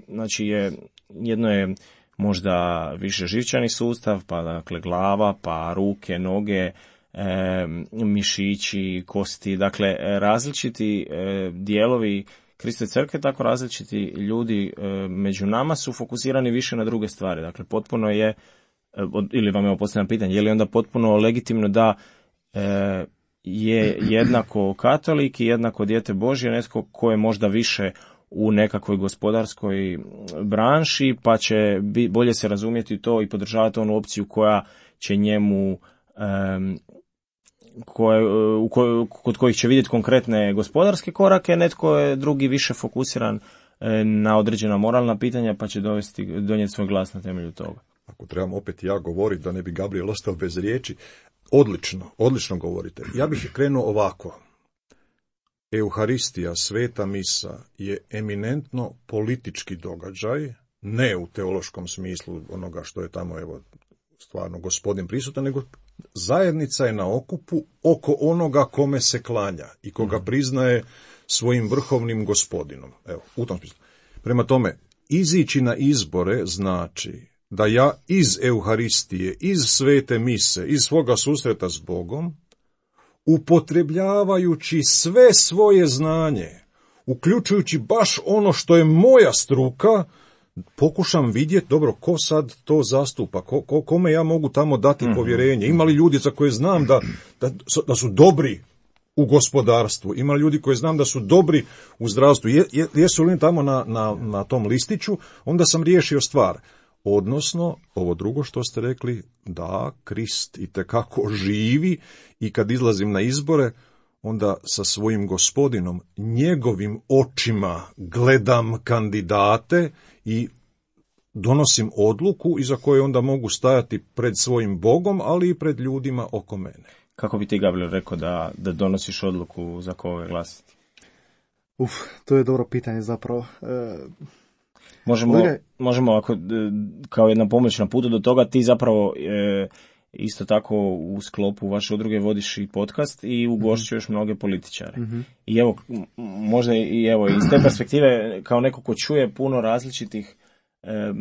znači je, jedno je možda više živčani sustav, pa dakle glava, pa ruke, noge, E, mišići, kosti, dakle različiti e, dijelovi Kristove crkve, tako različiti ljudi e, među nama su fokusirani više na druge stvari. Dakle, potpuno je, e, ili vam je postavljeno pitanje, je li onda potpuno legitimno da e, je jednako katolik i jednako dijete Božje netko ko je možda više u nekakvoj gospodarskoj branši, pa će bi, bolje se razumjeti to i podržavati onu opciju koja će njemu Um, koje, u koj, kod kojih će vidjeti konkretne gospodarske korake, netko je drugi više fokusiran e, na određena moralna pitanja, pa će dovesti, donijeti svoj glas na temelju toga. Ako trebam opet ja govoriti, da ne bi Gabriel ostao bez riječi, odlično, odlično govorite. Ja bih krenuo ovako. Euharistija, sveta misa, je eminentno politički događaj, ne u teološkom smislu onoga što je tamo, evo, stvarno gospodin prisutan, nego zajednica je na okupu oko onoga kome se klanja i koga priznaje svojim vrhovnim gospodinom. Evo, u tom smislu. Prema tome, izići na izbore znači da ja iz Euharistije, iz svete mise, iz svoga susreta s Bogom, upotrebljavajući sve svoje znanje, uključujući baš ono što je moja struka, pokušam vidjeti, dobro, ko sad to zastupa, ko, ko, kome ja mogu tamo dati povjerenje. Ima li ljudi za koje znam da, da, da su dobri u gospodarstvu, ima li ljudi koje znam da su dobri u zdravstvu, je, je, jesu li tamo na, na, na tom listiću, onda sam riješio stvar. Odnosno, ovo drugo što ste rekli, da, Krist itekako živi i kad izlazim na izbore, onda sa svojim gospodinom, njegovim očima gledam kandidate i donosim odluku iza koje onda mogu stajati pred svojim Bogom, ali i pred ljudima oko mene. Kako bi ti, Gabriel, rekao da, da donosiš odluku za koga glasiti? Uf, to je dobro pitanje zapravo. E... Možemo, Kolega... možemo ako, kao jedna pomoć na putu do toga, ti zapravo e, isto tako u sklopu vaše udruge vodiš i podcast i ugošćuješ mm-hmm. mnoge političare. Mm-hmm. I evo, možda i evo, iz te perspektive, kao neko ko čuje puno različitih e,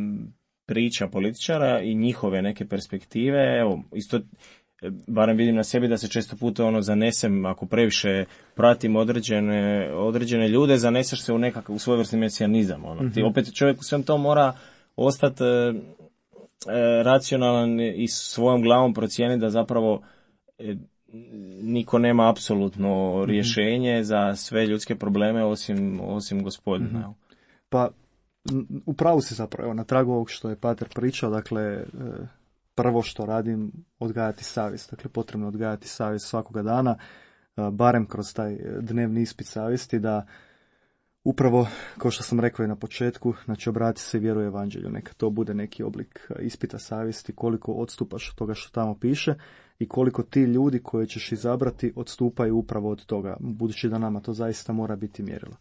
priča političara i njihove neke perspektive, evo, isto, barem vidim na sebi da se često puta ono zanesem, ako previše pratim određene, određene ljude, zaneseš se u nekakav u svojevrsni mesijanizam. Ono. Mm-hmm. Ti opet čovjek u svem tom mora ostati e, racionalan i svojom glavom procijeni da zapravo e, niko nema apsolutno rješenje mm-hmm. za sve ljudske probleme osim, osim Gospodina. Mm-hmm. Pa, upravo si zapravo, evo, na tragu ovog što je Pater pričao, dakle, e, prvo što radim, odgajati savjest. Dakle, potrebno odgajati savjest svakoga dana, barem kroz taj dnevni ispit savjesti, da upravo, kao što sam rekao i na početku, znači obrati se i vjeruje evanđelju. Neka to bude neki oblik ispita savjesti, koliko odstupaš od toga što tamo piše i koliko ti ljudi koje ćeš izabrati odstupaju upravo od toga, budući da nama to zaista mora biti mjerilo.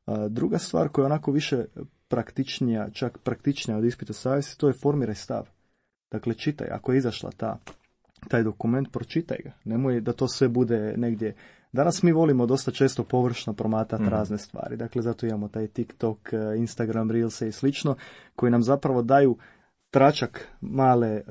A, druga stvar koja je onako više praktičnija, čak praktičnija od ispita savjesti, to je formiraj stav. Dakle, čitaj, ako je izašla ta, taj dokument, pročitaj ga. Nemoj da to sve bude negdje. Danas mi volimo dosta često površno promatati mm. razne stvari. Dakle, zato imamo taj TikTok, Instagram, Reelse i slično, koji nam zapravo daju tračak male,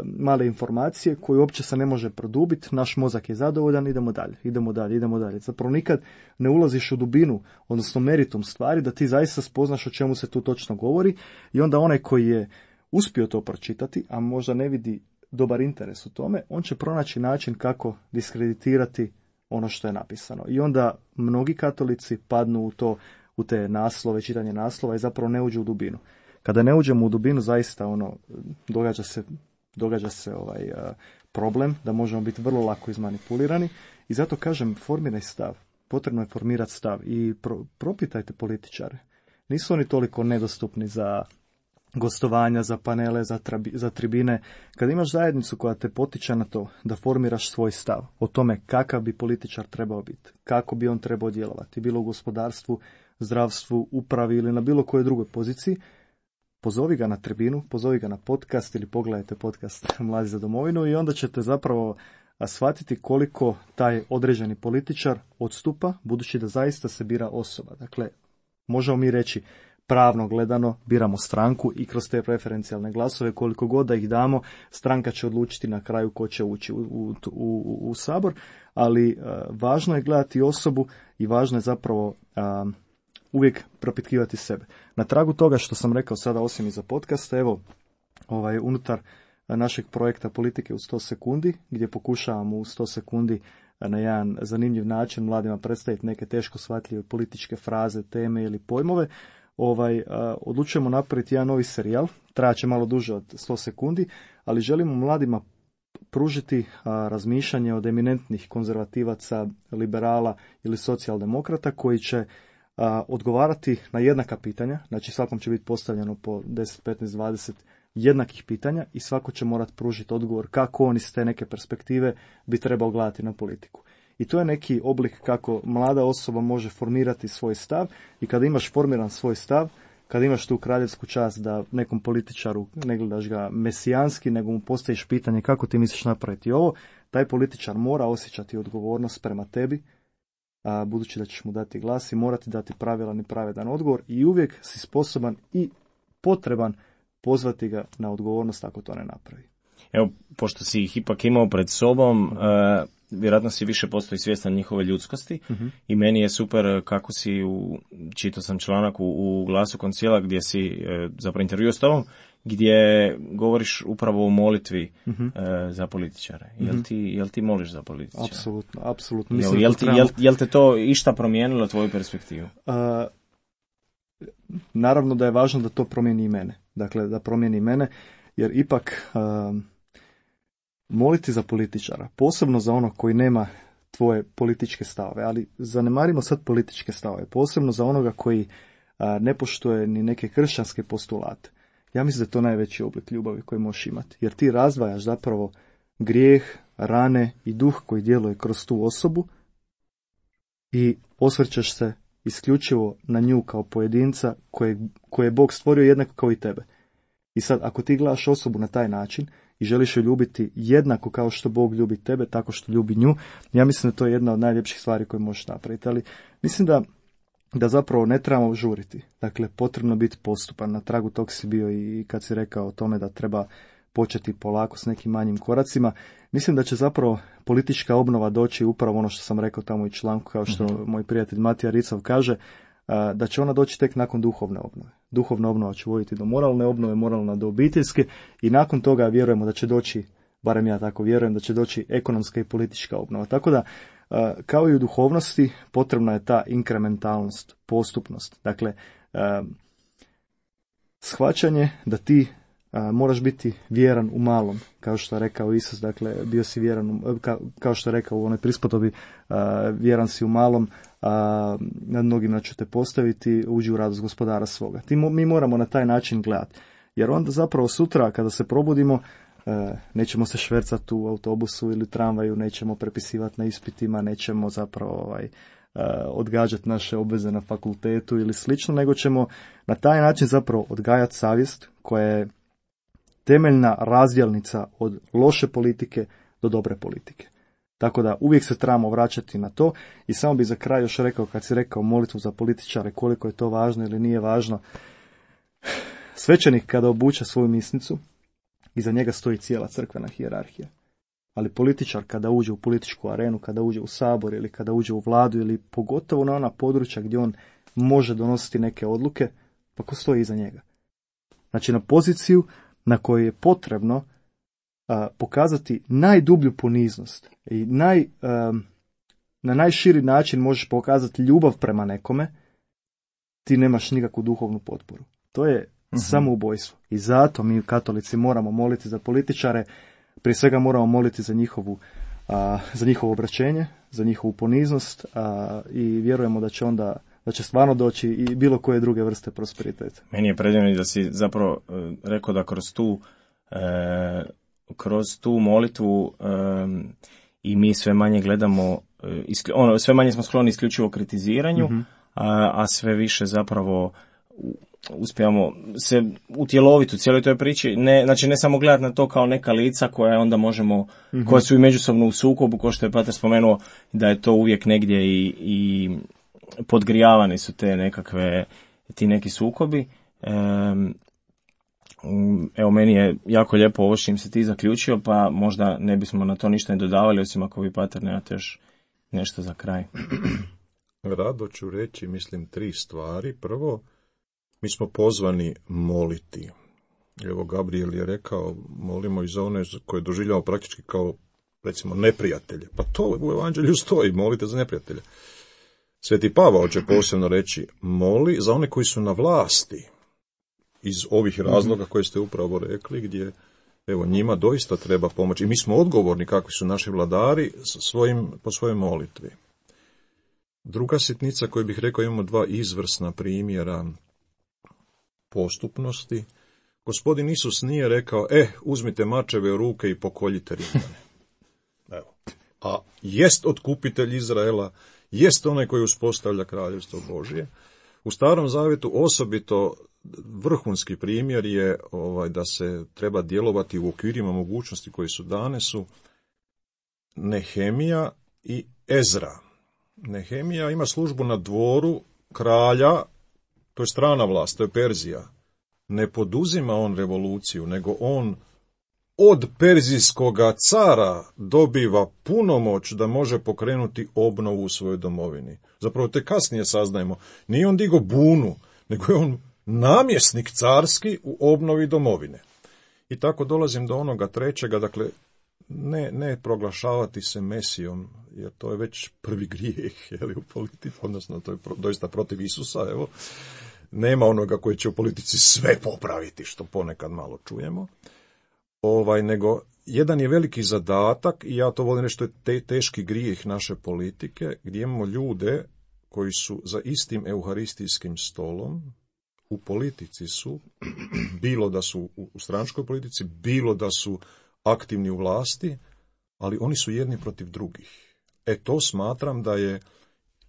male informacije koju uopće se ne može produbiti. Naš mozak je zadovoljan, idemo dalje, idemo dalje, idemo dalje. Zapravo nikad ne ulaziš u dubinu, odnosno meritum stvari, da ti zaista spoznaš o čemu se tu točno govori i onda onaj koji je uspio to pročitati, a možda ne vidi dobar interes u tome, on će pronaći način kako diskreditirati ono što je napisano. I onda mnogi katolici padnu u to, u te naslove, čitanje naslova i zapravo ne uđu u dubinu. Kada ne uđemo u dubinu, zaista ono, događa se, događa se ovaj uh, problem da možemo biti vrlo lako izmanipulirani i zato kažem, formiraj stav. Potrebno je formirati stav i pro, propitajte političare. Nisu oni toliko nedostupni za gostovanja, za panele, za, trabi, za tribine. Kad imaš zajednicu koja te potiče na to da formiraš svoj stav o tome kakav bi političar trebao biti, kako bi on trebao djelovati, bilo u gospodarstvu, zdravstvu, upravi ili na bilo kojoj drugoj poziciji, pozovi ga na tribinu, pozovi ga na podcast ili pogledajte podcast Mladi za domovinu i onda ćete zapravo shvatiti koliko taj određeni političar odstupa, budući da zaista se bira osoba. Dakle, možemo mi reći pravno gledano biramo stranku i kroz te preferencijalne glasove, koliko god da ih damo, stranka će odlučiti na kraju ko će ući u, u, u, u sabor, ali uh, važno je gledati osobu i važno je zapravo uh, uvijek propitkivati sebe. Na tragu toga što sam rekao sada, osim iza podcasta, evo, ovaj, unutar našeg projekta Politike u sto sekundi, gdje pokušavamo u sto sekundi na jedan zanimljiv način mladima predstaviti neke teško shvatljive političke fraze, teme ili pojmove, ovaj, odlučujemo napraviti jedan novi serijal, trajaće malo duže od sto sekundi, ali želimo mladima pružiti a, razmišljanje od eminentnih konzervativaca, liberala ili socijaldemokrata koji će a, odgovarati na jednaka pitanja, znači svakom će biti postavljeno po deset, petnaest, dvadeset jednakih pitanja i svako će morati pružiti odgovor kako on iz te neke perspektive bi trebao gledati na politiku. I to je neki oblik kako mlada osoba može formirati svoj stav i kada imaš formiran svoj stav, kada imaš tu kraljevsku čast da nekom političaru ne gledaš ga mesijanski, nego mu postaviš pitanje kako ti misliš napraviti ovo, taj političar mora osjećati odgovornost prema tebi, a, budući da ćeš mu dati glas i morati dati pravilan i pravedan odgovor i uvijek si sposoban i potreban pozvati ga na odgovornost ako to ne napravi. Evo, pošto si ih ipak imao pred sobom, uh, vjerojatno si više postoji svjestan njihove ljudskosti uh-huh. i meni je super kako si, u, čitao sam članak u, u Glasu Koncila gdje si uh, zapravo intervjuo s tobom, gdje govoriš upravo o molitvi uh-huh. uh, za političare. Uh-huh. Jel ti, jel ti moliš za političare? Apsolutno, apsolutno. Jel, jel, ti, jel, jel te to išta promijenilo tvoju perspektivu? Uh, naravno da je važno da to promijeni i mene. Dakle, da promijeni mene, jer ipak uh, moliti za političara, posebno za onog koji nema tvoje političke stavove, ali zanemarimo sad političke stavove, posebno za onoga koji uh, ne poštuje ni neke kršćanske postulate. Ja mislim da je to najveći oblik ljubavi koji možeš imati, jer ti razdvajaš zapravo grijeh, rane i duh koji djeluje kroz tu osobu i osvrćeš se isključivo na nju kao pojedinca koje, koje je Bog stvorio jednako kao i tebe. I sad, ako ti gledaš osobu na taj način i želiš ju ljubiti jednako kao što Bog ljubi tebe, tako što ljubi nju, ja mislim da to je jedna od najljepših stvari koje možeš napraviti. Ali mislim da, da zapravo ne trebamo žuriti. Dakle, potrebno biti postupan. Na tragu tog si bio i kad si rekao o tome da treba početi polako s nekim manjim koracima. Mislim da će zapravo politička obnova doći upravo ono što sam rekao tamo u članku, kao što mm-hmm. moj prijatelj Matija Ricov kaže, da će ona doći tek nakon duhovne obnove. Duhovna obnova će voditi do moralne obnove, moralna do obiteljske i nakon toga vjerujemo da će doći, barem ja tako vjerujem, da će doći ekonomska i politička obnova. Tako da, kao i u duhovnosti, potrebna je ta inkrementalnost, postupnost. Dakle, shvaćanje da ti A, moraš biti vjeran u malom, kao što je rekao Isus, dakle, bio si vjeran, ka, kao što je rekao u onoj prispodobi, a, vjeran si u malom, a, nad mnogima ću te postaviti, uđi u radost gospodara svoga. Ti, mi moramo na taj način gledati, jer onda zapravo sutra kada se probudimo, a, nećemo se švercati u autobusu ili tramvaju, nećemo prepisivati na ispitima, nećemo zapravo ovaj, odgađati naše obveze na fakultetu ili slično, nego ćemo na taj način zapravo odgajati savjest koja je temeljna razdjelnica od loše politike do dobre politike. Tako da uvijek se trebamo vraćati na to i samo bi za kraj još rekao, kad si rekao molitvu za političare, koliko je to važno ili nije važno. Svećenik kada obuče svoju misnicu, iza njega stoji cijela crkvena hijerarhija. Ali političar kada uđe u političku arenu, kada uđe u sabor ili kada uđe u vladu ili pogotovo na ona područja gdje on može donositi neke odluke, pa ko stoji iza njega? Znači na poziciju na kojoj je potrebno a, pokazati najdublju poniznost i naj, a, na najširi način možeš pokazati ljubav prema nekome, ti nemaš nikakvu duhovnu potporu. To je uh-huh. samoubojstvo. I zato mi katolici moramo moliti za političare, prije svega moramo moliti za njihovu, a, za njihovo obraćenje, za njihovu poniznost a, i vjerujemo da će onda da će stvarno doći i bilo koje druge vrste prosperiteta. Meni je predivno da si zapravo e, rekao da kroz tu e, kroz tu molitvu e, i mi sve manje gledamo, e, iskli, ono, sve manje smo skloni isključivo kritiziranju, mm-hmm. a, a sve više zapravo uspijemo se utjeloviti u cijeloj toj priči, ne, znači ne samo gledati na to kao neka lica koja onda možemo, mm-hmm. koja su i međusobno u sukobu, kao što je Pater spomenuo, da je to uvijek negdje i, i podgrijavani su te nekakve, ti neki sukobi. Evo, meni je jako lijepo ovo što im se ti zaključio, pa možda ne bismo na to ništa ne dodavali, osim ako vi, Pater, nemate još nešto za kraj. Rado ću reći, mislim, tri stvari. Prvo, mi smo pozvani moliti. Evo, Gabriel je rekao, molimo i za one koje doživljamo praktički kao, recimo, neprijatelje. Pa to u evanđelju stoji, molite za neprijatelje. Sveti Pavao će posebno reći, moli za one koji su na vlasti, iz ovih razloga koje ste upravo rekli, gdje evo njima doista treba pomoći. I mi smo odgovorni kakvi su naši vladari svojim, po svojoj molitvi. Druga sitnica koju bih rekao, imamo dva izvrsna primjera postupnosti. Gospodin Isus nije rekao, e, uzmite mačeve u ruke i pokoljite Rimljane. Evo. A jest otkupitelj Izraela, jest onaj koji uspostavlja kraljevstvo Božje. U Starom Zavjetu osobito vrhunski primjer je ovaj, da se treba djelovati u okvirima mogućnosti koji su dane su Nehemija i Ezra. Nehemija ima službu na dvoru kralja, to je strana vlast, to je Perzija. Ne poduzima on revoluciju, nego on od perzijskoga cara dobiva punomoć da može pokrenuti obnovu u svojoj domovini. Zapravo te kasnije saznajemo, nije on digo bunu, nego je on namjesnik carski u obnovi domovine. I tako dolazim do onoga trećega, dakle, ne, ne proglašavati se Mesijom, jer to je već prvi grijeh, jeli, u politici, odnosno to je pro, doista protiv Isusa, evo. Nema onoga koji će u politici sve popraviti, što ponekad malo čujemo. Ovaj, nego, jedan je veliki zadatak, i ja to volim reći, to je te, teški grijeh naše politike, gdje imamo ljude koji su za istim euharistijskim stolom, u politici su, bilo da su u stranačkoj politici, bilo da su aktivni u vlasti, ali oni su jedni protiv drugih. E to smatram da je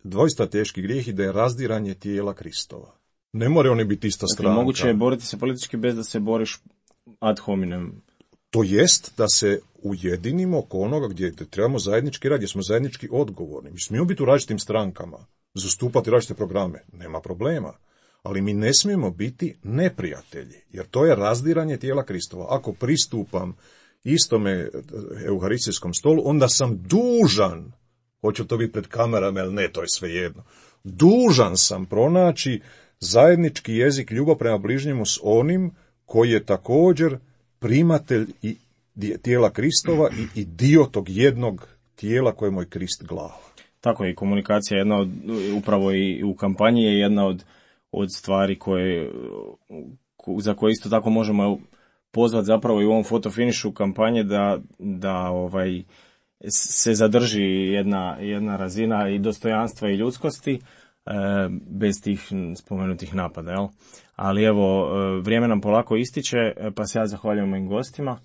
doista teški grijeh i da je razdiranje tijela Kristova. Ne more oni biti ista stranka. Dakle, moguće je boriti se politički bez da se boriš ad hominem. To jest da se ujedinimo oko onoga gdje trebamo zajednički raditi, gdje smo zajednički odgovorni. Mi smijemo biti u različitim strankama, zastupati različite programe, nema problema. Ali mi ne smijemo biti neprijatelji, jer to je razdiranje tijela Kristova. Ako pristupam istome euharistijskom stolu, onda sam dužan, hoće to biti pred kamerama ili ne, to je svejedno, dužan sam pronaći zajednički jezik ljubav prema bližnjemu s onim koji je također primatelj i tijela Kristova i, i dio tog jednog tijela kojemu je Krist glava. Tako je, komunikacija je jedna od, upravo i u kampanji je jedna od, od stvari koje, za koje isto tako možemo pozvati zapravo i u ovom fotofinišu kampanje da, da ovaj, se zadrži jedna, jedna razina i dostojanstva i ljudskosti bez tih spomenutih napada, jel? Ali evo, vrijeme nam polako ističe, pa se ja zahvaljujem mojim gostima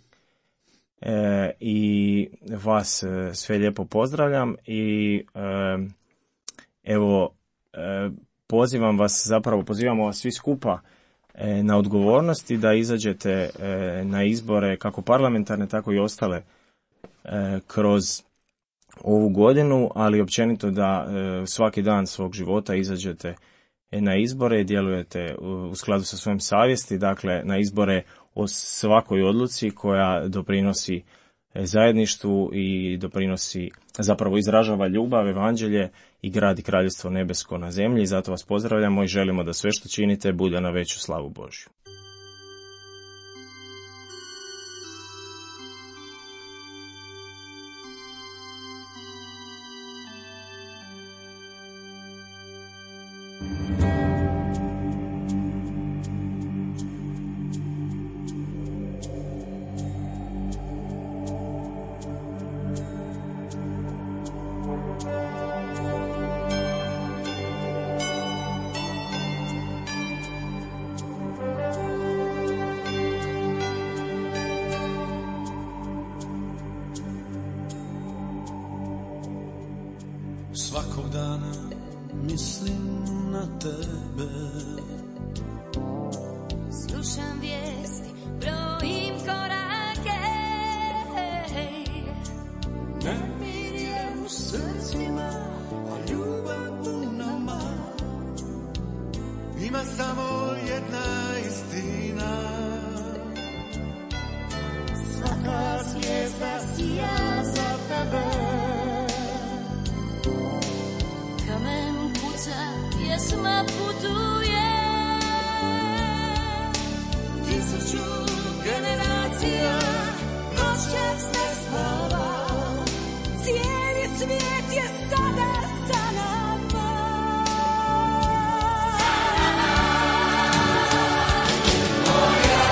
e, i vas sve lijepo pozdravljam i, e, Evo, e, pozivam vas, zapravo pozivamo vas svi skupa e, na odgovornosti da izađete e, na izbore kako parlamentarne, tako i ostale e, kroz ovu godinu, ali općenito da e, svaki dan svog života izađete na izbore i djelujete u skladu sa svojim savjesti, dakle na izbore o svakoj odluci koja doprinosi zajedništvu i doprinosi, zapravo izražava ljubav, evanđelje i gradi kraljevstvo nebesko na zemlji. Zato vas pozdravljamo i želimo da sve što činite bude na veću slavu Božju. Svakog dana mislim na tebe. Slušam vijesti, brojim korake. Nemir je u srcima, a ljubav u nama. Ima samo jedna istina. Svaka zvijezda sija za tebe. Kamen puca, pjesma putuje. Tisuću generacija noćas ne spava. Cijeli svijet je sada sa nama. Moja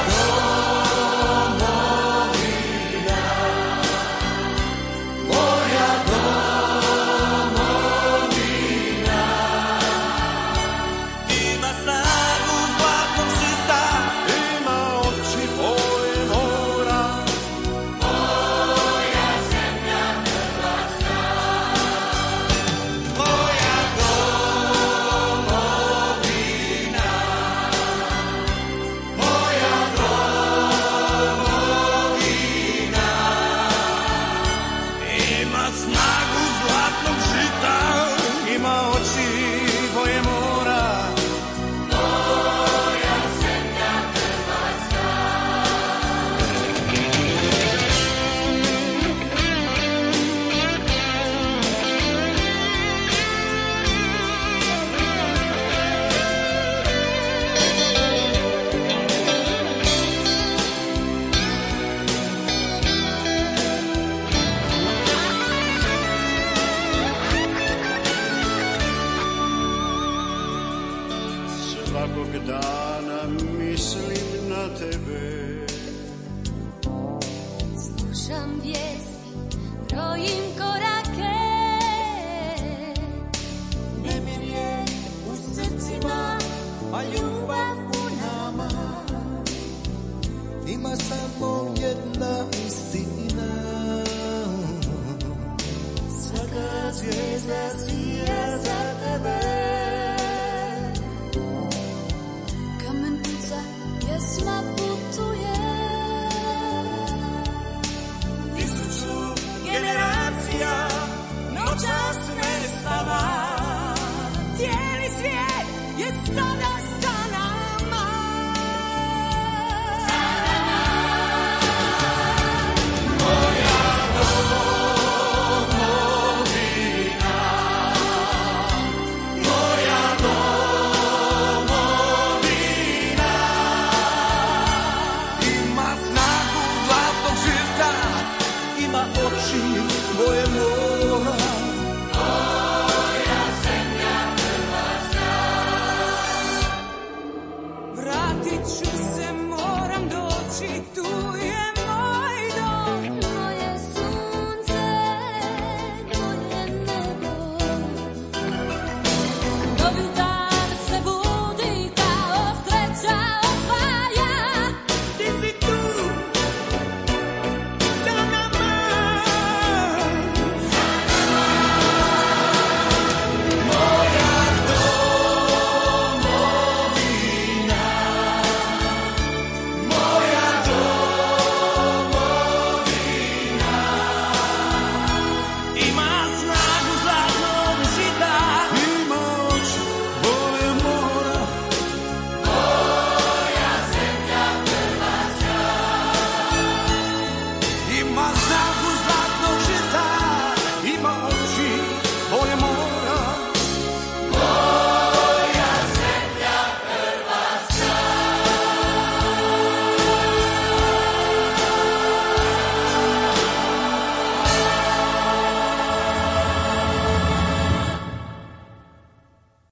domovina, moja domovina ima snagu zlatnog žita, ima oči boje mora. Moja zemlja Hrvatska, moja domovina, moja domovina ima snagu zlatnog žita, ima oči boje mora. Moja zemlja Hrvatska. Svakog dana mislim na tebe. Slušam vijesti, brojim korake. Nemir je u srcima, a ljubav